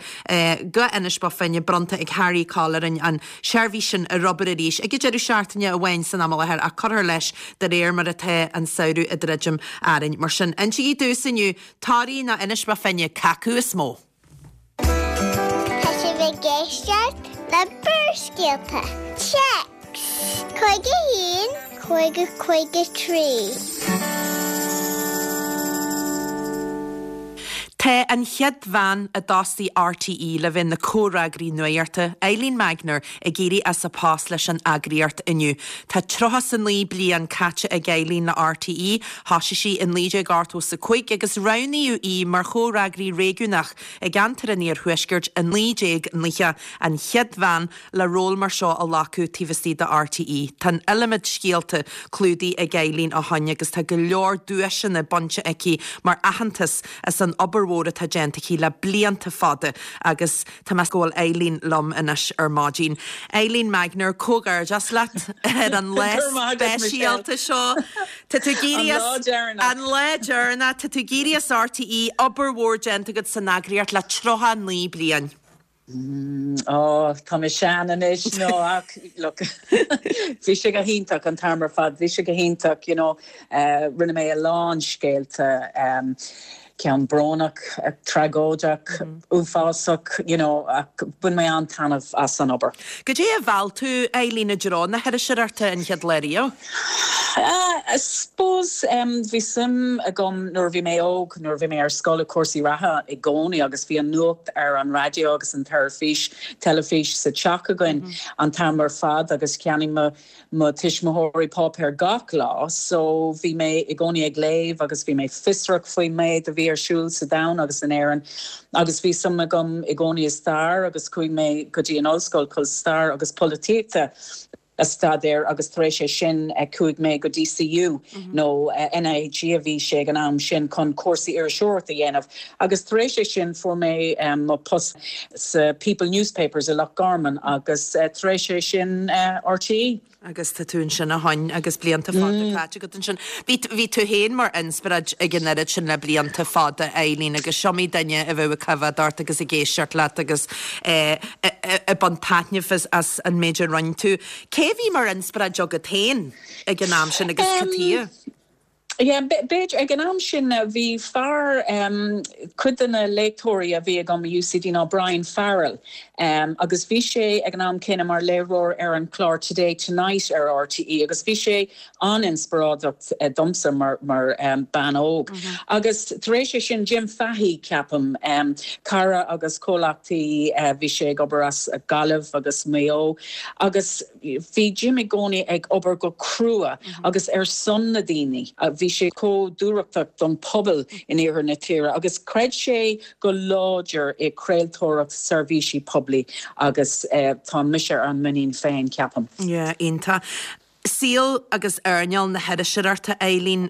go Inis Bó Finne bronnta ag Harry Colleran, an seirbhís sin ar obair arís ag an deireadh seachtaine amháin san am i láthair ach cuirfear leis de réir mar atá an samhradh ag druidim orainn. Mar sin, insígí domhsa inniu, Toraigh nó Inis Bó Finne, cé acu is mó? Tá sibh ag éisteacht le Barrscéalta. Téacs 51 50 53. Tá an chéad bhean a d'fhostaigh RTÉ le bheith ina comhfhreagraí nuachta, Eileen Magnier, ag éirí as a post leis an eagraíocht inniu. Tá 39 bliain caite ag Eileen le RTÉ, thosaigh sí i 1985 agus roghnaíodh í mar chomhfhreagraí réigiúnach i gceantar an Iarthuaiscirt i 1990, an chéad bhean le ról mar seo a ghlacadh taobh istigh de RTÉ. Tá an iliomad scéalta clúdaithe ag Eileen ó shoin agus tá go leor duaiseanna bainte aici mar aitheantas as an obair mhór atá déanta aici le blianta fada agus tá mé go bhfuil Eileen liom anois ar maidin. Eileen Magnier, comhghairdeas leat ar an lá speisialta seo. Tá tú ag éirí as. An lá deireanach. An lá deireanach. Tá tú ag éirí as RTÉ, obair mhór déanta agat san eagraíocht le 39 bliain. Ó, tá mé sean anois, no, ach look, bhí sé go hiontach an t-am ar fad, bhí sé go hiontach, you know, rinne mé a lán scéalta. Ceann brónach, tragóideach, uafásach, you know, ach bhain mé an-taitneamh as an obair. Goidé a mheall tú, Eileen, i dtreo na hiriseoireachta an chéad lá riamh? I suppose, bhí suim agam nuair a bhí mé óg, nuair a bhí mé ar scoil i cúrsaí reatha i gcónaí agus bhí an nuacht ar an raidió agus an teilifís, teilifís sa teach againn an t-am ar fad agus cheannaigh mo mo tuismitheoirí páipéar gach lá so bhí mé i gcónaí ag léamh agus bhí mé fiosrach faoin méid a bhí ar siúl sa domhan agus in Éirinn agus bhí suim agam i gcónaí i stair agus chuaigh mé go dtí an ollscoil chun stair agus polaitíochta a staidéar agus tar éis é sin chuaigh mé go DCU nó NIHE a bhí sé ag an am sin chun cúrsaí iriseoireachta a dhéanamh agus tar éis é sin fuair mé mo post sa People Newspapers i Loch Garman agus tar éis é sin RTÉ. Agus tá tú ansin ó shoin agus blianta fada caite agat ansin. Bhí, bhí tú féin mar inspioráid ag an oiread sin le blianta fada, Eileen, agus is iomaí duine a bheadh ag coimhéad ort agus ag éisteacht leat agus ag baint taitneamh as, as an méid a rinne tú. Cé a bhí mar inspioráid agat féin ag an am sin agus cad chuige? Yeah, b'fhéidir, ag an am sin bhí fear, cuid de na léachtóirí a bhí agam i UCD ná Brian Farrell agus bhí sé ag an am céanna mar léiritheoir ar an chlár Today Tonight ar RTÉ agus bhí sé an-inspioráideach domsa mar mar bean óg. Agus tar éis é sin Jim Fahey ceapaim, cara agus comhleachtaí, bhí sé ag obair as Gaillimh agus Maigh Eo agus, Bhí Jim i gcónaí ag obair go crua agus ar son na daoine. Bhí sé chomh dúthrachtach don pobal in iarthar na tíre agus chreid sé go láidir i craoltóireacht seirbhísí poiblí agus tá mise ar an muinín féin, ceapaim. Yeah, iontach. Saol agus earnáil na hiriseoireachta, Eileen,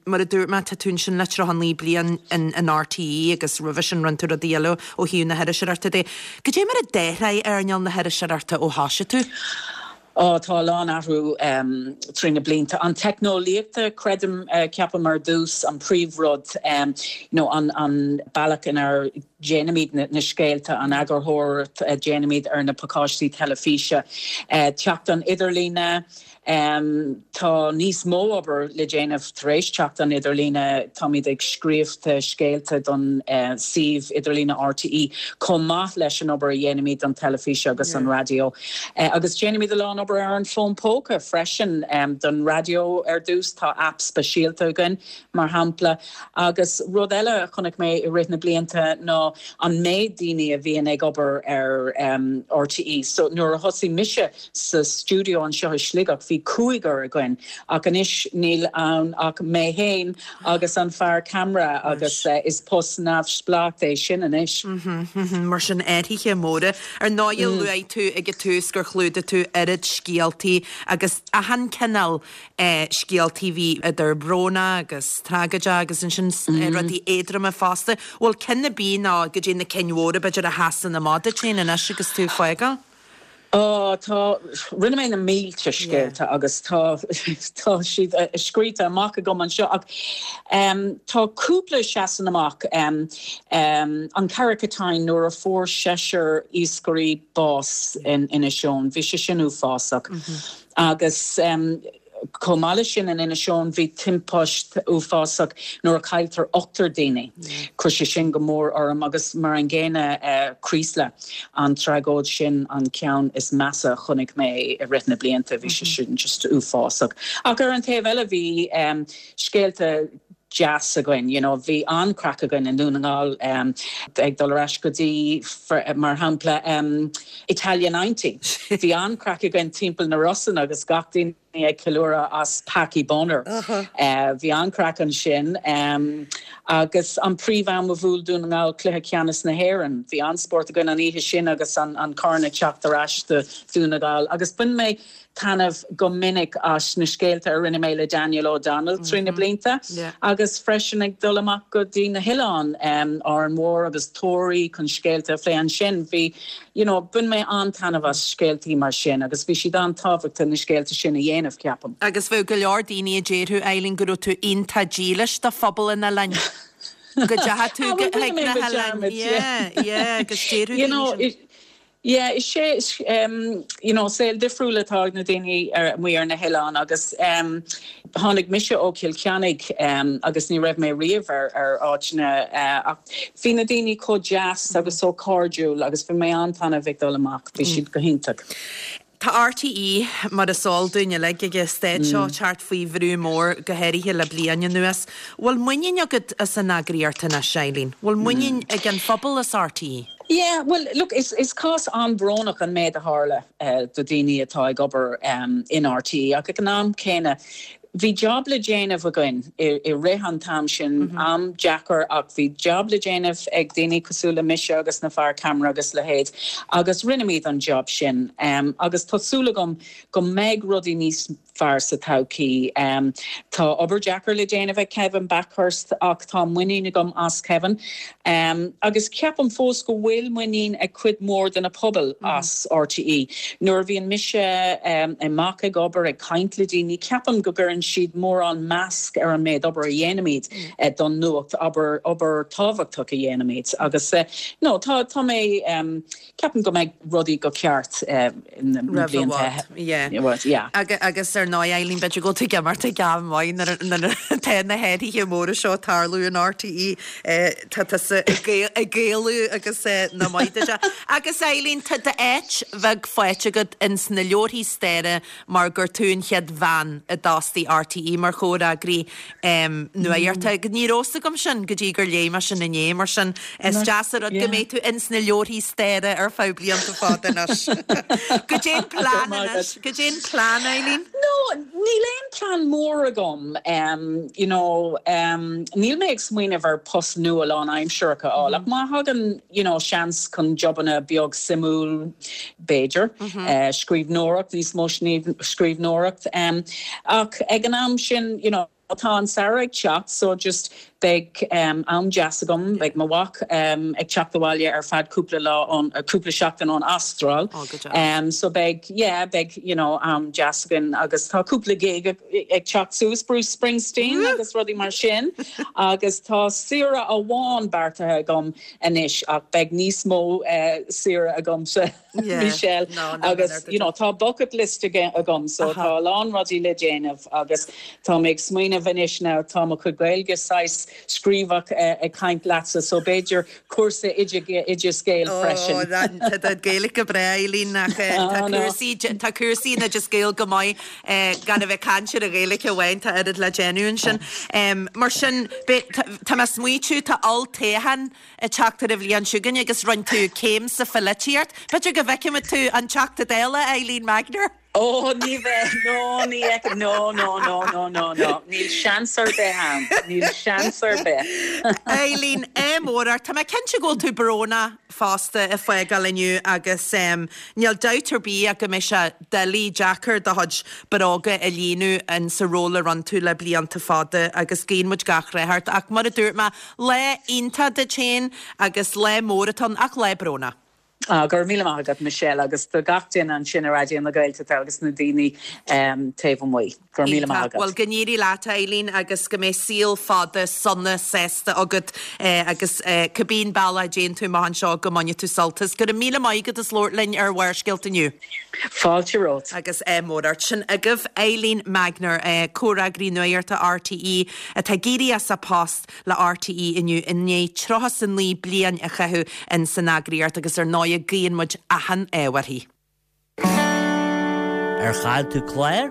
mar a dúirt mé, tá tú ansin le 39 bliain in RTÉ agus roimhe sin rinne tú rudaí eile ó thaobh na hiriseoireachta de. Cad é mar a d'athraigh earnáil na hiriseoireachta ó thoisigh tú? Ó, tá a lán athrú trí na blianta. An teicneolaíochta, creidim, ceapaim ar dtús, an príomhrud, you know, an an bealach inar déanaimid na scéalta, an eagarthóireacht a déanaimid ar na pacáistí teilifíse, teacht an idirlíne, Tá níos mó obair le déanamh tar éis teacht an idirlíne. Táimid ag scríobh scéalta don suíomh idirlíne RTÉ chomh maith leis an obair a dhéanaimid don teilifís agus an raidió. Agus déanaimid a lán obair ar an bhfón póca freisin. Don raidió ar dtús, tá aip speisialta againn, mar shampla. Agus rud eile a chonaic mé i rith na blianta ná an méid daoine a bhíonn ag obair ar RTÉ. So nuair a thosaigh mise Sa stiúideo anseo i Sligeach bhí cúigear againn ach anois níl ann ach mé féin agus an fear ceamara agus is post neamhspleách é sin anois. Mar sin athruithe móra. Ar ndóigh luaigh tú ag an tús gur chlúdaigh tú oiread scéaltaí agus achan cineál scéaltaí, bhí idir brónach agus tragóideach agus ansin rudaí éadroma fosta. Bhfuil ceann ar bith nó goidé na cinn mhóra b'fhéidir a sheasann amach duit féin anois agus tú ag fágáil? Ó, tá, rinne mé na mílte scéalta agus tá, tá siad scríte amach agam anseo ach tá cúpla a seasann amach. An Carrick-a-Tine nuair a fuair seisear iascairí bás in Inis Eoghain, bhí sé sin uafásach agus, Chomh maith leis sin, in Inis Eoghain bhí timpist uafásach nuair a cailltear ochtar daoine. Chuir sé sin go mór orm agus mar an gcéanna Creeslough, an tragóid sin an ceann is measa a chonaic mé i rith na blianta, bhí sé sin just uafásach. Ach ar an taobh eile bhí scéalta deas againn, you know, bhí an-chraic againn i nDún na nGall ag dul ar ais go dtí, mar shampla, Italia 90. Bhí an-chraic againn timpeall na Rosann agus gach duine ag ceiliúradh as Packie Bonner. Bhí an-chraic ansin. Agus an príomh-am a bhuail Dún na nGall cluiche ceannais na hÉireann. Bhí an-spórt againn an oíche sin agus an corn ag teacht ar ais do Dhún na nGall. Agus bhain mé taitneamh go minic as na scéalta a rinne mé le Daniel O'Donnell trí na blianta agus freisin ag dul amach go dtí na hoileáin, Árainn Mhór agus Toraí chun scéalta a phlé ansin. Bhí, you know, bhain mé an-taitneamh as scéaltaí mar sin agus bhí siad an-tábhachtach na scéalta sin a dhéanamh, ceapaim. Agus bheadh go leor daoine a déarfadh, Eileen, go raibh tú iontach dílis do phobal an oileáin. Go dteachaigh tú chuig na hoileáin. Yeah, yeah, agus déarfadh daoine sin. Yeah, is é, you know, saol difriúil atá ag na daoine amuigh ar na hoileáin agus tháinig mise ó Chill Chainnigh agus ní raibh mé riamh ar ar áiteanna ach bhí na daoine chomh deas agus chomh cairdiúil agus bhí mé an-taitneamh ag dul amach, bhí siad go hiontach. Tá RTÉ, mar is eol dúinn uilig ag an staid seo, teacht faoi bhrú mór, go háirithe le bliain anuas. Bhfuil muinín agat as an eagraíocht anois, Eileen? Bhfuil muinín ag an phobal as RTÉ? Yeah, bhuel, look, is is cás an-bhrónach an méid a tharla do daoine atá ag obair in RTÉ ach ag an am céanna, Bhí job le déanamh againn i rith an t-am sin, am deacair ach bhí job le déanamh ag daoine cosúil le mise agus na fear ceamara agus leithéid agus rinneamid an job sin agus tá súil agam go mbeidh rudaí níos fearr sa todhchaí. Tá obair deacair le déanamh ag Kevin Bakhurst ach tá muinín agam as Kevin. Agus ceapaim fós go bhfuil muinín ag cuid mhór de na pobail as RTÉ. Nuair a bhíonn mise amach ag obair, ag caint le daoine, ceapaim go gcuireann siad mórán meas ar an méid obair a dhéanaimid don nuacht, obair, obair tábhachtach a dhéanaimid. Agus no, tá, tá mé, ceapaim go mbeidh rudaí go ceart na blianta. Yeah. Agus ar ndóigh, Eileen, b'fhéidir go bhfuil tú ag imeacht ag am maith nuair atá na hathruithe móra seo ag tarlú in RTÉ. Tá tusa ag Gaelú agus nach maith duit é. Agus Eileen, tá d'áit bheag faighte agat ins na leabharthaí staire mar gur tú an chéad bhean a d'fhostaigh RTÉ mar chomhfhreagraí nuachta. Ní raibh fhios agam sin go dtí gur léigh mé sin inné, mar sin is deas an rud go mbeidh tú ins na leabharthaí staire ar feadh blianta fada anois. Goidé an plean anois? Goidé an plean, Eileen? No, níl aon plean mór agam. You know, níl mé ag smaoineamh ar post nua lánaimsearach a fháil ach má thagann, you know, seans chun jobanna beag suimiúil, b'fhéidir, scríbhneoireacht, níos mó scríbhneoireacht. Ach ag an am sin, you know, tá an samhradh ag teacht so just beidh am deas agam, beidh mo mhac ag teacht abhaile ar feadh cúpla lá ón, cúpla seachtain ón Astráil. So beidh, yeah, beidh, you know, am deas againn agus tá cúpla gig ag teacht suas, Bruce Springsteen agus rudaí mar sin agus tá saoire amháin beartaithe agam anois ach beidh níos mó saoire agamsa Michelle agus you know tá bucket list agam so tá a lán rudaí le déanamh agus tá mé ag smaoineamh anois now tá mo chuid Gaeilge saghas scríobhach ag caint leatsa so b'fhéidir cúrsa Oideas Gael freisin. Ó tá do Gaeilge go breá Eileen ach tá cúrsaí tá cúrsaí in Oideas Gael go maith gan a bheith ag caint ar an Ghaeilge amháin tá oiread le déanamh ansin. Mar sin tá mé ag smaoitiú tá olltoghchán ag teacht ar an bhliain seo chugainn agus rinne tú céim sa pholaitíocht. B'fhéidir go bhfeicfimid tú an Teachta Dála, Eileen Magnier? Ó, ní bheidh, no, ní fheicfidh, no, no, no, no, no, no, níl seans ar bith ann, níl seans ar bith. Eileen, ádh mór ort. Tá mé cinnte go bhfuil tú brónach fosta ag fágáil inniu agus níl dabht ar bith ach go mbeidh sé doiligh, deacair do chuid bróga a líonadh in sa ról a rinne tú le blianta fada agus guíonn muid gach rath ort ach mar a dúirt mé, lá iontach duit féin agus lá mór atá ann ach lá brónach. Ah, go raibh míle maith agat Michelle agus do gach duine ansin i Raidió na Gaeltachta agus na daoine taobh amuigh. Go raibh míle maith agat. Bhuel, go n-éirí leat, a Eileen, agus go mbeidh saol fada, sona, sásta agat agus cibé an bealach a dtéann tú amach anseo go mbaine tú sult as. Go raibh míle maith agat as labhairt linn ar Bharrscéalta inniu. Fáilte romhat. Agus ádh mór ort. Sin agaibh Eileen Magnier, comhfhreagraí nuachta RTÉ atá ag éirí as a post le RTÉ inniu i ndiaidh 39 bliain a chaitheamh in san eagraíocht agus ar ndóighe guíonn muid achan ádh uirthi. Ar chaill tú clár?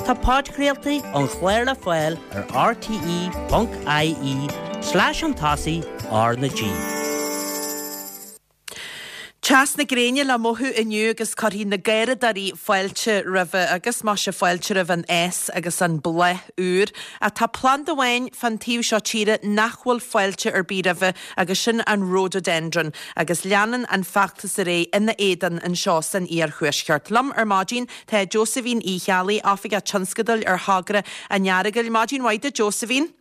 Tá podchraoltaí an chláir le fáil ar rte.ie slash chun tosaigh R na G. Teas na gréine le mothú inniu agus cuirfidh na garraíodóirí fáilte roimhe agus maise fáilte roimh an fhás agus an bláth úr. Ach tá planda amháin fán taobh seo tíre nach bhfuil fáilte ar bith roimhe agus sin an Rhododendron agus leanann an feachtas ar aghaidh ina éadan anseo san iarthuaisceart. Liom ar maidin tá Josephine Uí Cheallaigh, Oifigeach Tionscadail ar Thogra an Earagail. Maidin mhaith duit Josephine.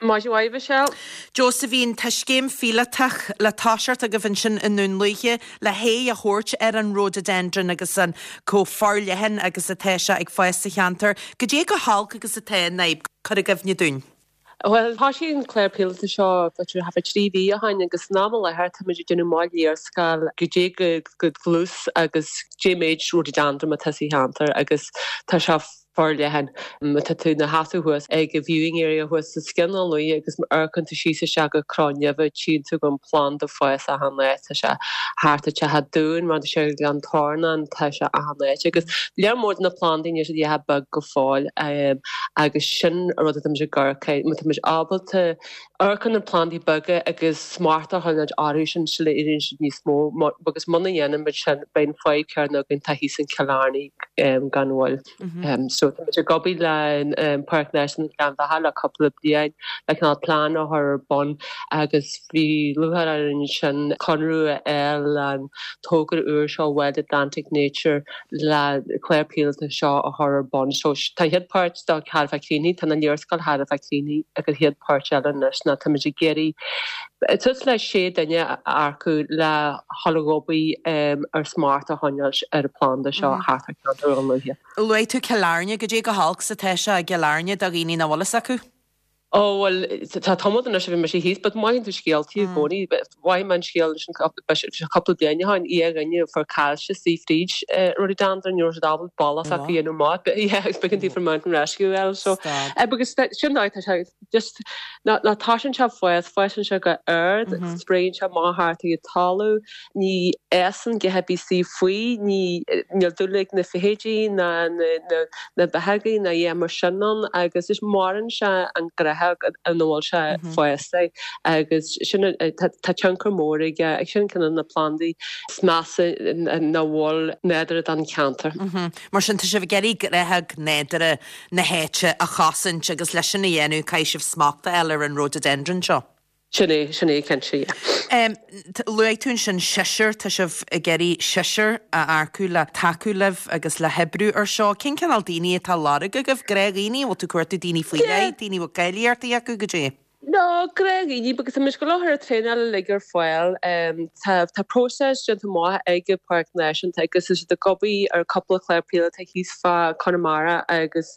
Maidin mhaith, Michelle. Josephine, tá scéim phíolótach le toiseacht agaibh ansin i nDún Lúiche le haghaidh a thabhairt ar an Rhododendron agus an chomh forleathan agus atá sé ag fás sa cheantar. Goidé chomh holc agus atá an fhadhb? Cuir i gcuimhne dúinn. Bhuel, thoisigh an clár píolóta seo b'fhéidir thart fá 3 mhí ó shin agus san am i láthair táimid ag déanamh amach léarscáil goidé go dlús agus goidé méid rhododendron atá sa cheantar agus tá sé forleathan. Má tá tú ina sheasamh thuas ag an viewing area thuas sa Scian an Luaith agus má amharcann tú síos isteach go Crann Neimhe tchíonn tú go bhfuil an planda fás achan áit. Tá sé thart ar Teach Dúin, mar tá sé ag Gleann Tornáin, tá sé achan áit agus lear mór de na plandaí níl siad a dhath beag go fóill agus sin an rud atá muid ag amharc air, má tá muid ábalta amharc ar na plandaí beaga agus smacht a choinneáil orthu sin sula éiríonn siad níos mó agus muna ndéanann muid sin beidh an fadhb céanna againn atá thíos in Cill Airne gan mhoill. So tá muid ag obair le Páirc Náisiúnta Ghleann Bheatha le cúpla bliain le cineál plean a chur ar bun agus bhí lúcháir orainn ansin conradh a fháil le an togra úr seo Wild Atlantic Nature le clár píolóta seo a chur ar bun. So tá an chéad pháirt dó chóir a bheith críochnaithe, tá na léarscáil chóir a bheith críochnaithe agus an chéad pháirt eile anois ná táimid ag iarraidh suas le sé duine a earcú le dhul ag obair ar smacht a choinneáil ar an phlanda seo thart ar cheantar Dhún Lúiche. Luaigh tú Cill Airne, goidé chomh holc 's atá sé i gCill Airne do dhaoine nach bhfuil fhios acu? Ó bhuel, tá tamall anois ó bhí mise thíos, but mothaíonn tú scéaltaí i gcónaí. Mhothaigh mé an scéal ansin cúpla bliain ó shin, dhá dhuine a fuair caillte istigh fríd rhododendron, ní raibh siad ábalta bealach s'acu a dhéanamh amach, but yeah, agus b'éigean daofa mountain rescue a fháil, so because sin dóigh, tá sé just, ná ná toisíonn sé ag fás, fásann sé go ard, spréann sé amach thart ar an talamh, Ní fhásann a dhath ar bith istigh faoi, ní, níl dúil ag na feithidí ná na, na beithígh ná a dhath mar sin ann agus is maraíonn sé an gnáthóg ina bhfuil sé fásta agus sin, tá, tá tionchar mór aige agus sin ceann de na plandaí is measa nach bhfuil nádúrtha don cheantar. Mar sin tá sibh ag iarraidh gnáthóg nádúrtha na háite a chosaint agus leis sin a dhéanamh caithfidh sibh smacht a fháil ar an rhododendron seo. Sin é, sin é cinnte, yeah. Luaigh tú ansin seisear, tá sibh ag iarraidh seisear a earcú le tacú libh agus le hoibriú ar seo. Cén cineál daoine atá á lorg agaibh? Gnáthdhaoine? An bhfuil tú ag cuartú daoine faoi leith, daoine a bhfuil cáilíochtaí acu, goidé? No, gnáthdhaoine, because tá muid ag gabháil a chur an traenáil uilig ar fáil. Tá, tá próiseas déanta amach ag an Pháirc Náisiúnta agus tá siad ag obair ar cúpla clár píolóta thíos fá Conamara agus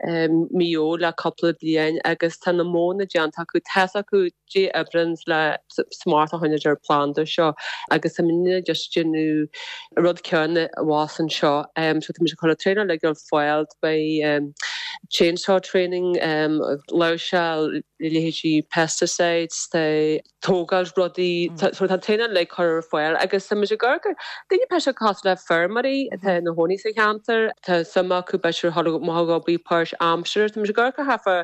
Maigh Eo le cúpla bliain agus tá na modhanna déanta acu, tá's acu goidé a oibríonn le smacht a choinneáil ar an phlanda seo agus tá muidne just déanamh an rud céanna abhus anseo. So tá muid ag cur an traenáil uilig ar fáil, beidh chainsaw training, láimhseáil leithéidí pesticides, tá. tógáil rudaí, so tá an traenáil uilig curtha ar fáil agus tá muid ag amharc ar daoine b'fhéidir cosúil le feirmeoirí atá ina chónaí sa cheantar, tá suim acu b'fhéidir dhul amach ag obair páirt-aimseartha, tá muid ag amharc ar thart fá,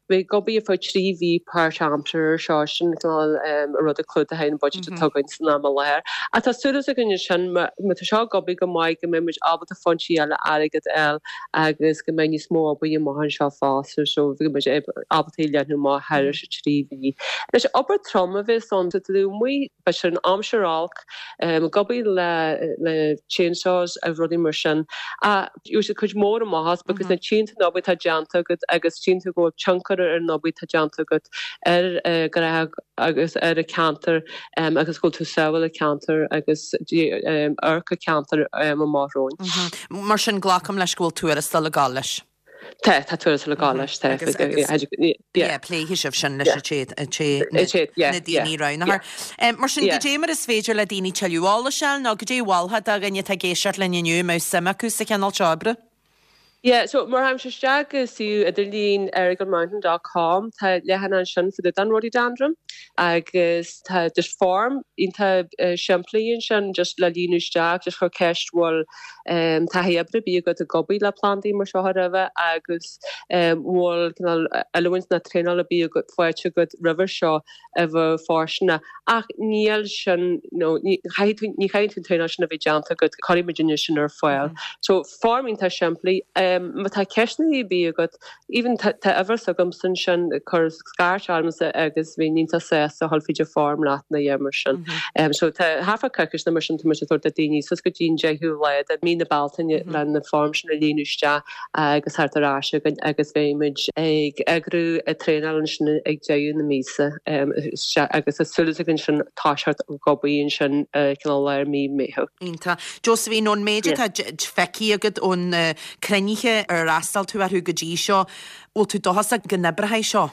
bheith ag obair ar feadh 3 mhí páirt-aimseartha ar seo, sin cineál an rud a clúdaíonn an budget atá againn san am i láthair. Ach tá súil againn ansin má tá seo ag obair go maith go mbeidh muid ábalta foinsí eile airgid a fháil agus go mbeidh níos mó obair amach anseo fosta so go mbeidh muid ábalta é a leathnú amach thairis an 3 mhí. Anois, obair trom a bheas ann, tá tú amuigh, b'fhéidir in aimsir olc, ag obair le le chainsaws agus rudaí mar sin ach gheobhaidh siad cuid mhór amach as because nuair a tchíonn tú an obair atá déanta agat agus tchíonn tú go bhfuil tionchar ar an obair atá déanta agat ar ghnáthóg agus ar an ceantar agus go bhfuil tú ag sábháil an ceantar agus amharc an ceantar amach romhainn. Mar sin, glacaim leis go bhfuil tuarastal ag gabháil leis. Tá, tá tuarastal ag gabháil leis, tá. Agus, agus, yeah, pléifidh sibh sin leis an té, an té, na daoine roghnaithe. Mar sin, goidé mar is féidir le daoine tuilleadh eolais a fháil nó goidé a mholfá do dhuine atá ag éisteacht linn inniu a mbeadh suim acu sa chineál seo oibre? Yeah, so má théimse isteach go suíomh idirlín errigalmountain dot com tá leathanach ansin fá dtaobh den rhododendron agus tá just form iontach simplí ansin just le líonadh isteach, just chur ceist bhfuil taithí oibre ar bith agat ag obair le plandaí mar seo roimhe agus bhfuil cineál oiliúint nó traenáil ar bith agat faighte agat roimhe seo a bheadh fóirsteanach. Ach níl sin, nó ní chaithfidh tú, ní chaithfidh tú an traenáil sin a bheith déanta agat, cuirfidh muidinne sin ar fáil. So, form iontach simplí. Má tá ceisteanna ar bith agat, even tá tá uimhir s'agamsa ansin, cuir scairt ormsa agus bheinn iontach sásta a dhul fríd an form leat nó a dhath mar sin. So tá thart fá coicís nó mar sin tá muid ag tabhairt do daoine suas go dtí an 10ú lá de mí na Bealtaine le na form sin a líonadh isteach. agus theacht ar ais chugainn agus beidh muid ag eagrú an traenáil ansin ag deireadh na míosa agus tá súil againn ansin toiseacht ag obair ansin cineál lár mí Meitheamh. Iontach. Josephine, ón méid atá feicthe agat ó na cruinnithe ar fhreastail tú orthu go dtí seo, bhfuil tú dóchasach go n-oibreoidh seo?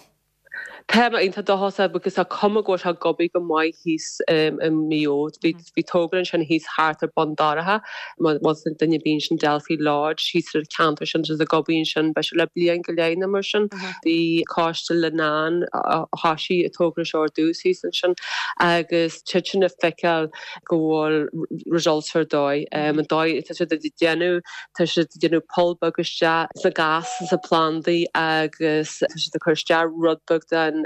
Tá mé iontach dóchasach agus tá cuma go bhfuil sé ag obair go maith thíos i Maigh Eo. Bhí togra ansin thíos thart ar Bun Dobhráin, má bhfuil duine ar bith ansin Delphi Lodge thíos ar an cheantar sin, tá siad ag obair ansin b'fhéidir le bliain go leith nó mar sin. Bhí Coiste Leenane a thoisigh an togra seo ar dtús thíos ansin agus tá siad ag feiceáil go bhfuil results ar dóigh. An dóigh atá siad ag déanamh, tá siad ag déanamh poll beag isteach sna gas sna plandaí agus tá siad ag cur isteach rud beag den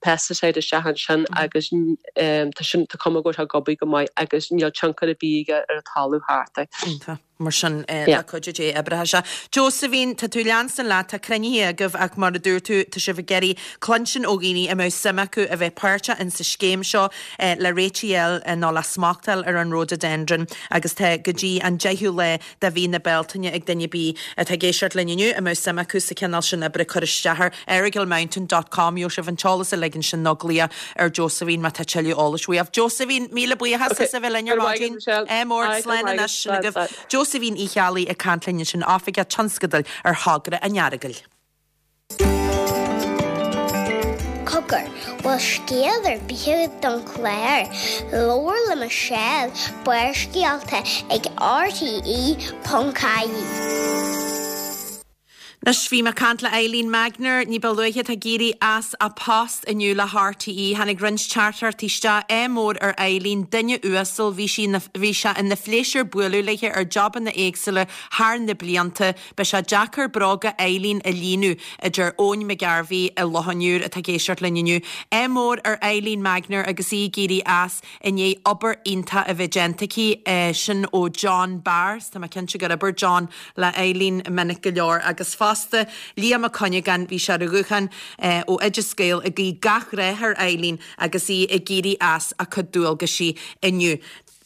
pesticide isteach ansin agus tá sin, tá cuma go bhfuil sé ag obair go maith agus níl tionchar ar bith aige ar an talamh thart air. Mar sin, le cuidiú Dé, oibreoidh sé. Josephine, tá tú ag leanstan leat, tá cruinnithe agaibh ach mar a dúirt tú, tá sibh ag iarraidh cluinstin ó dhaoine a mbeadh suim acu a bheith páirteach in sa scéim seo le réitigh a fháil nó le smacht a fháil ar an rhododendron agus tá go dtí an 10ú lá de mhí na Bealtaine ag duine ar bith atá ag éisteacht linn inniu a mbeadh suim acu sa chineál sin oibre cur isteach ar errigalmountain dot com gheobhaidh sibh an t-eolas uilig ansin nó glaoch ar Josephine má tá tuilleadh eolais uaibh. Josephine, míle buíochas as a bheith linn ar maidin. Ádh mór, slán anois. Sin agaibh Josephine Uí Cheallaigh ag caint linn ansin, Oifigeach Tionscadail ar Thogra an Earagail. Cogar, bhfuil scéal ar bith agat don chlár? Labhair le Michelle, Barrscéalta ag RTE.ie. Anois, bhí mé ag caint le Eileen Magnier ní ba luaithe, atá ag éirí as a post inniu le RTÉ. Tháinig roinnt teachtaireachtaí isteach, ádh mór ar Eileen, duine uasal, bhí sí ina, bhí sé ina phléisiúr bualadh léi ar jobanna éagsúla thar na blianta. Beidh sé deacair bróga Eileen a líonadh, a deir Eoin McGarvey i Loch an Iúir atá ag éisteacht linn inniu. Ádh mór ar Eileen Magnier agus í ag éirí as. I ndiaidh obair iontach a bheith déanta aici, sin ó John Barr, tá mé cinnte gur oibir John le Eileen minic go leor, agus fosta Liam Ó Cuinneagáin, bhí sé ar an ghuthán ó Oideas Gael ag guí gach rath ar Eileen agus í ag éirí as a cuid dualgaisí inniu.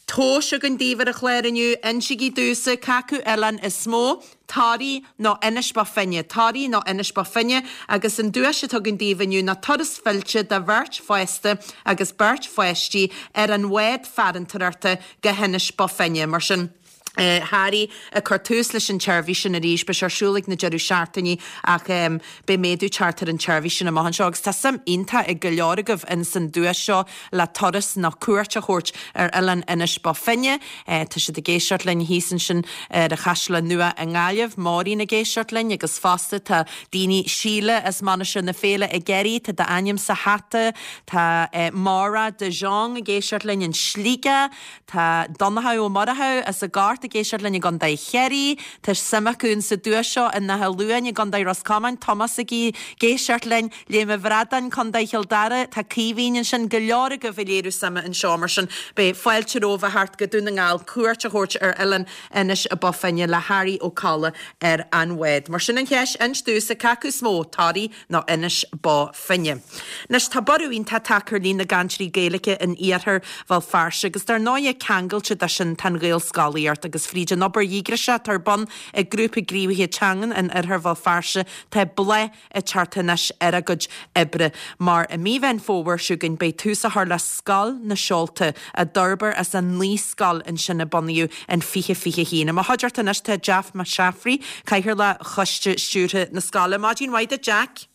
Tomhas againn daoibh ar an chlár inniu, insígí domhsa cé acu oileán is mó, Toraigh nó Inis Bó Finne, Toraigh nó Inis Bó Finne, agus an duais atá againn daoibh inniu ná turas fillte do bheirt fásta agus beirt pháistí ar an bhád farantóireachta go hInis Bó Finne. Mar sin, Thoraigh ag cur tús leis an tseirbhís sin arís. Beidh sé ar siúl ag na deireadh seachtainí ach beidh méadú teacht ar an tseirbhís sin amach anseo agus tá suim iontach ag go leor agaibh ins an duais seo le turas nó cuairt a thabhairt ar oileán Inis Bó Finne. Tá siad ag éisteacht linn thíos ansin ar an Chaisleán Nua i nGaillimh, Máirín ag éisteacht linn agus fosta tá daoine, Síle as Mainistir na Féile i gCiarraí, tá d'ainm sa hata, tá Máire de Jong ag éisteacht linn in Sligeach, tá Donnchadh Ó Murchú as an gCort ag éisteacht linn i gContae Chiarraí, tá suim acu in sa duais seo in Áth Luain i gContae Ros Comáin, Tomás ag éisteacht linn. Léim an Bhradáin, Contae Chill Dara, tá Caoimhín ansin, go leor agaibh ag léiriú suime anseo, mar sin beidh fáilte romhaibh a theacht go Dún na nGall cuairt a thabhairt ar oileán Inis Bó Finne le Harry Ó Colla ar an bhád. Mar sin an cheist, inis domhsa cé acu is mó, Toraigh nó Inis Bó Finne? Anois tá borradh iontach tagtha ar líon na gcainteoirí Gaeilge in iarthar Bhéal Feirste agus dar ndóighe ceangailte de sin tá an Ghaelscolaíocht agus fríd an obair dhíograiseach atá ar bun ag Grúpa Gníomhaithe Teangan in oirthear Bhéal Feirste tá bláth ag teacht anois ar a gcuid oibre, mar i mí Mheán Fómhair seo chugainn beidh tús á chur le Scoil na Seolta, a d'fhorbair as an naíscoil ansin a bunaíodh in 2021. I mo chuideachta anois tá Jeff Mac Seafraidh, Cathaoirleach Choiste Stiúrtha na scoile. Maidin mhaith duit, Jack.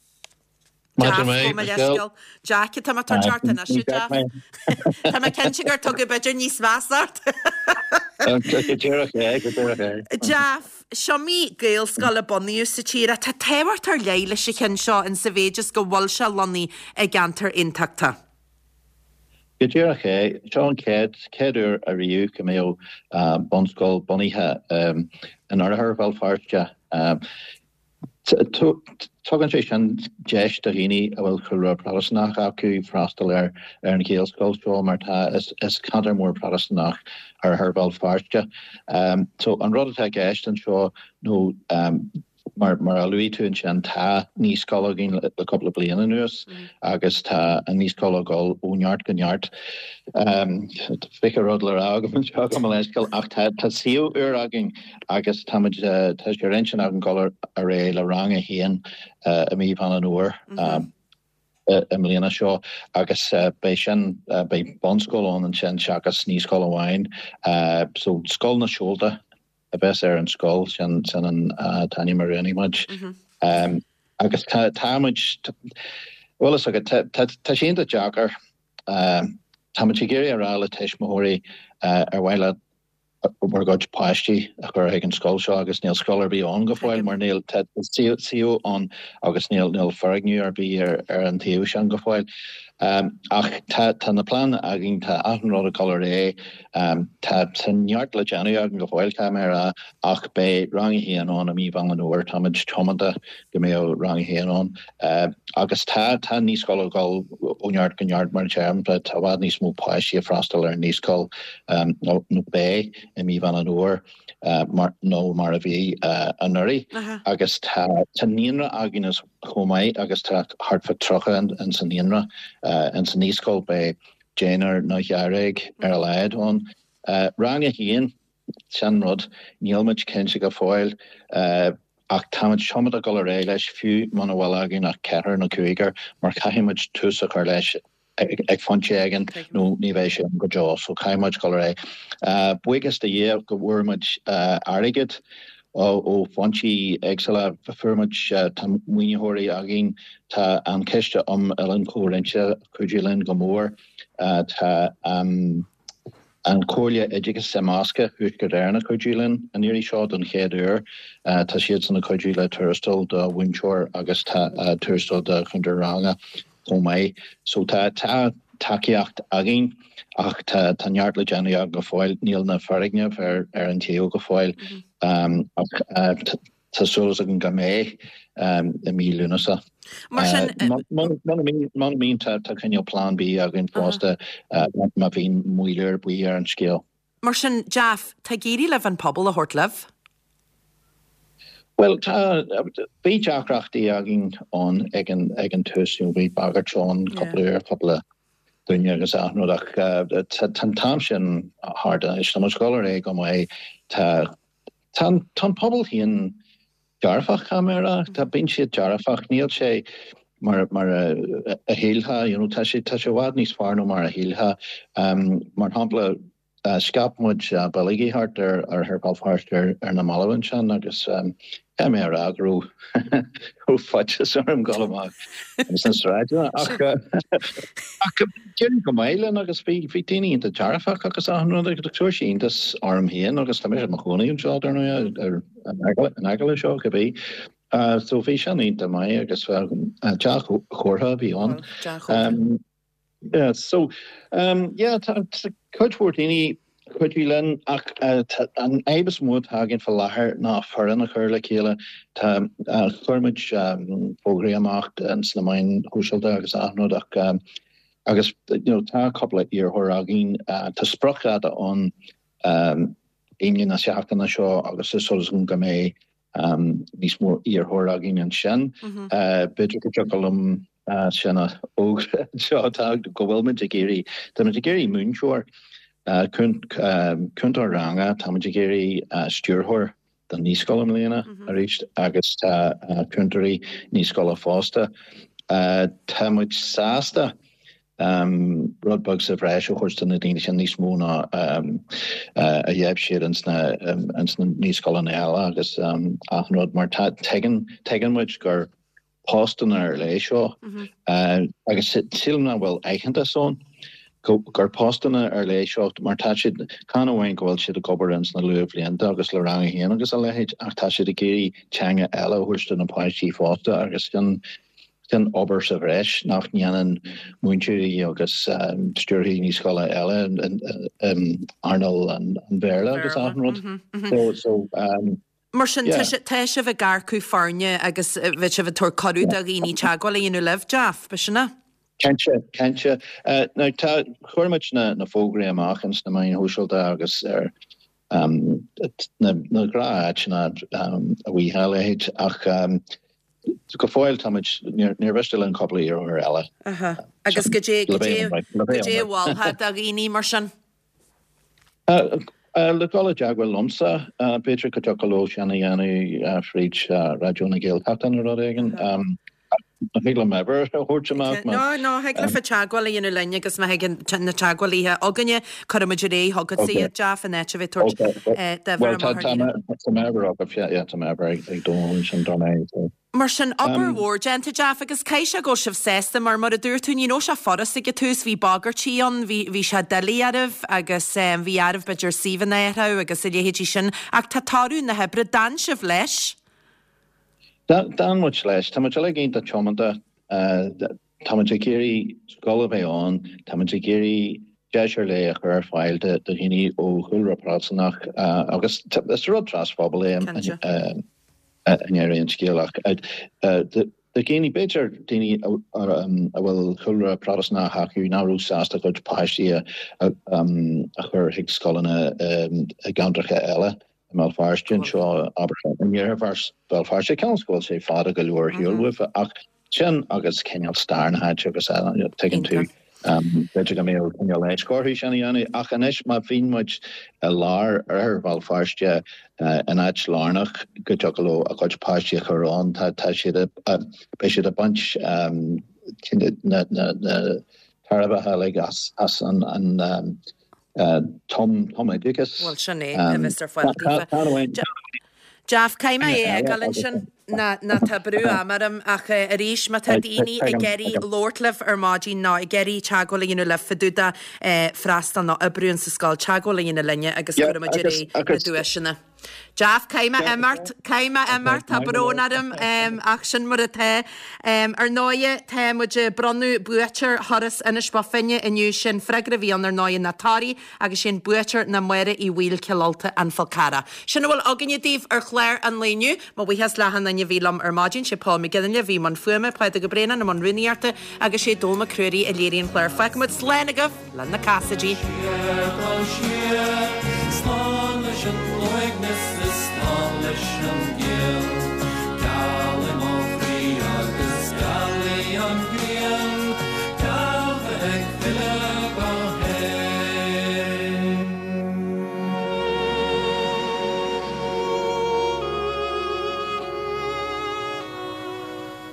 Maidin mhaith, Michelle. Jack, tá mé tar teacht anois, a Jeff. Tá mé cinnte gur tugadh b'fhéidir níos measa ort. Go díreach é, go díreach é. Jeff, Is iomaí Gaelscoil a bunaíodh sa tír ach tá tábhacht ar leith leis an cheann seo in sa mhéid is go bhfuil sé lonnaithe i gceantar Aontachtach. Go díreach é. Seo an chéad chéad uair ariamh go mbeadh bunscoil bunaithe in oirthear Bhéal Feirste. Tugann sé sin deis do dhaoine a bhfuil cúlra Protastúnach acu freastal ar an Ghaelscoil seo mar tá is ceantar mór Protastúnach oirthear Bhéal Feirste. So an rud atá i gceist anseo nó mar mar a luaigh tú ansin tá naíscoil againn le cúpla bliain anuas agus tá an naíscoil ag dul ó neart go neart. Tá 20 rud le rá agam anseo gabh mo leithscéal ach tá suíomh úr againn Agus táimid, tá sé ar intinn againn dul ar aghaidh le rang a haon i mí Mheán an Fhómhair i mbliana seo agus beidh sin, beidh bunscoil ann ansin seachas naíscoil amháin. So Scoil na Seolta a bheas ar an scoil, sin an t-ainm a roghnaigh muid. Agus tá, tá muid. Bhuel, is agat, tá sé iontach deacair. Táimid ag iarraidh a rá le tuismitheoirí ar mhaith leat bhur gcuid páistí a chur chuig an scoil seo agus níl scoil ar bith ann go fóill mar níl tá suíomh ann agus níl níl foirgneamh ar bith ar ar an tsuíomh sin go fóill. Ach tá tá na pleananna againn, tá achan rud ag dul ar aghaidh, tá tá neart le déanamh againn go fóill, caithfidh mé a rá, ach beidh Rang 1 ann i mí Mheán an Fhómhair, táimid tiomanta go mbeadh Rang 1 ann. Agus tá, tá an naíscoil ag dul ó neart go neart mar a deirim, tá i bhfad níos mó páistí ag freastal ar an naíscoil nó beidh i mí Mheán an Fhómhair mar nó mar a bhí anuraidh. Agus tá, tá naíonra againn as chomh maith agus tá thart fá 30 ins an naíonra. Ins an naíscoil beidh deichniúr nó dháréag ar a laghad ann. Rang 1, Sin rud. Níl muid cinnte go fóill ach táimid tiomanta dul ar aghaidh leis fiú muna bhfuil againn ach ceathrar nó cúigear mar caithfidh muid tús a chur leis ag pointe éigin nó ní bheidh sé ann go deo so caithfidh muid dul ar aghaidh. Buíochas do Dhia go bhfuair muid airgead ó foinsí éagsúla. Fuair muid, tá maoinitheoirí againn, tá an Ciste um Oileáin Chomhroinnte ag cuidiú linn go mór, tá an. An Chomhairle Oideachais Imeasctha Thuaisceart Éireann ag cuidiú linn an iarraidh seo don chéad uair. Tá siadsan ag cuidiú le tuarastal do mhúinteoir agus tá tuarastal do chúntóir ranga chomh maith. So tá tá tacaíocht againn ach tá tá neart le déanamh againn go fóill. Níl na foirgnimh ar ar an taobh go fóill ach Tá súil againn go mbeidh i mí Lúnasa. Mar sin. Muna mbíonn, tá cineál plean B againn fosta má bhíonn moill ar bith ar an scéal. Mar sin, Jeff, tá ag éirí libh an pobal a thabhairt libh? Bhuel, tá, bhí deacrachtaí againn ann ag an tús, you know, bhí bagairt ann cúpla uair, cúpla duine agus achan rud ach tá an t-am sin thart anois. Tá muid ag dul ar aghaidh go maith. Tá Tá an pobal féin dearfach, caithfidh mé a rá. Tá, bíonn siad dearfach. Níl sé mar, mar a shílfeá, you know, tá sé, tá sé i bhfad níos fearr ná mar a shílfeá. Mar shampla, scaip muid bileogaí thart ar ar Bhéal Feirste ar na mallaibh ansin agus caithfidh mé a rá go raibh, go raibh faitíos orm dul amach sna sráideanna ach ach d'éirigh go maith linn agus bhí bhí daoine iontach dearfach agus achan rud agus chuir sé iontas orm féin agus tá mise i mo chónaí anseo dar ndóigh ar in aice leis seo cibé. So bhí sin iontach maith agus dea-chomhartha a bhí ann. Yeah, so, um, yeah, tá cuid mhór daoine ag cuidiú linn ach uh, an fhadhb is mó atá againn faoi láthair ná foireann a chur le chéile. Tá, uh, chuir muid um, fógraí amach ins na meáin shóisialta agus achan rud ach um, agus you know, tá cúpla iarrthóir againn, uh, tá spriocdháta ann um, Aoine na seachtaine seo agus is dóigh liom go mbeidh níos mó iarrthóir againn ansin. B'fhéidir go dtiocfadh liom sin a fhógra anseo, tá go bhfuil muid ag iarraidh, tá muid ag iarraidh múinteoir, cúntóir ranga, tá muid ag iarraidh stiúrthóir don naíscoil i mbliana arís agus tá cúntóirí naíscoile fosta. Tá muid sásta rud beag sa bhreis a thabhairt do na daoine sin, níos mó ná a gheibh siad ins na naíscoileanna eile agus achan rud mar tá, tuigeann, tuigeann muid gur postanna ar leith seo agus sílim nach bhfuil aitheantas ann gur postanna ar leith seo mar tá siad, chan amháin go bhfuil siad ag obair ins na luathbhlianta agus le rang a haon agus a leithéid ach tá siad ag iarraidh teanga eile a thabhairt do na páistí fosta agus sin Sin obair sa bhreis nach ndéanann múinteoirí agus stiúrthóirí naíscoile eile in earnáil an Bhéarla agus achan rud. So, Mar sin, tá sibh ag earcú foirne agus bheidh sibh ag tabhairt cuireadh do dhaoine teagmháil a dhéanamh libh, Jeff, b'shin é? Cinnte, cinnte. Now tá, chuir muid na fógraí amach ins na meáin shóisialta agus ar na gnáth-áiteanna a bhí a leithéid ach go fóill táimid, níor mhiste linn cúpla iarrthóir eile. Aha. Agus goidé, goidé, goidé a mholfá do dhaoine mar sin? Le dul i dteagmháil liomsa, b'fhéidir go dtiocfadh leo sin a dhéanamh fríd Raidió na Gaeltachta nó rud éigin. An thig liom m'uimhir a thabhairt amach? No, no, thig leofa teagmháil a dhéanamh linn agus má thigeann na teagmhálaithe againne, cuirfimid ar aghaidh chugatsa iad, Jeff, in áit a bheith ag tabhairt d'uimhir amach ar líne. Tá m'uimhir agat, yeah, tá m'uimhir ag Dónal ansin, dar ndóigh. Mar sin, obair mhór déanta, Jeff, agus caithfidh sé go bhfuil sibh sásta mar, mar a dúirt tú, ní raibh sé furast ag an tús, bhí bagairtí ann, bhí, bhí sé doiligh oraibh agus bhí oraibh b'fhéidir suíomhanna a athrú agus a leithéidí sin ach tá toradh na hoibre, d'fhan sibh leis. D'fhan muid leis. Tá muid uilig iontach tiomanta. Tá muid ag iarraidh scoil a bheith ann, tá muid ag iarraidh deis ar leith a chur ar fáil do dhaoine ó chúlra Protastúnach agus is rud trasphobail é i ndeireadh an scéil ach do dhaoine, b'fhéidir daoine a bhfuil cúlra Protastúnach acu nach raibh sásta a gcuid páistí a chur chuig scoileanna i gceantracha eile. i mBéal Feirste anseo, abair, in iarthar Bhéal Feirste, cionn is go bhfuil sé fada go leor ar shiúl uafa, ach sin agus cineál stair na háite agus tuigeann tú, b'fhéidir go mbeadh cineál leisce orthu sin a dhéanamh, ach anois má bhíonn muid i lár oirthear Bhéal Feirste, in áit lárnach go dtiocfadh leo a gcuid páistí a chur ann, tá siad, beidh siad ag baint na tairbhithe uilig as an tumoideachas. Bhuel, sin é, a bheas ar fáil daofa. Jeff, caithfidh mé é a fhágáil ansin, nó tá brú ama orm, ach arís, má tá daoine ag iarraidh labhairt libh ar maidin nó ag iarraidh teagmháil a dhéanamh libh fá dtaobh de freastal nó oibriú in sa scoil, teagmháil a dhéanamh linne agus cuirfimid ar aghaidh na duaiseanna. Jeff, caithfidh mé imeacht, caithfidh mé imeacht, tá brón orm, ach sin mar atá. Ar ndóighe, tá muid ag bronnadh buaiteoir thuras Inis Bó Finne inniu, sin freagra a bhí ann ar ndóighe ná Toraigh agus sin buaiteoir ná Máire Uí Bhaoill, Cill Ulta, An Fál Carrach. Sin a bhfuil againne daoibh ar chlár an lae inniu. Mo bhuíochas le achan duine a bhí liom ar maidin, sé Paul McGinley a bhí i mbun fuaime, Pádraig Ó Braonáin i mbun rúnaíochta agus sé Dónall Mac Ruairí a léirigh an clár. Fágfaidh muid slán agaibh! Le na Cassidys. Siar, tá siar, slán leis an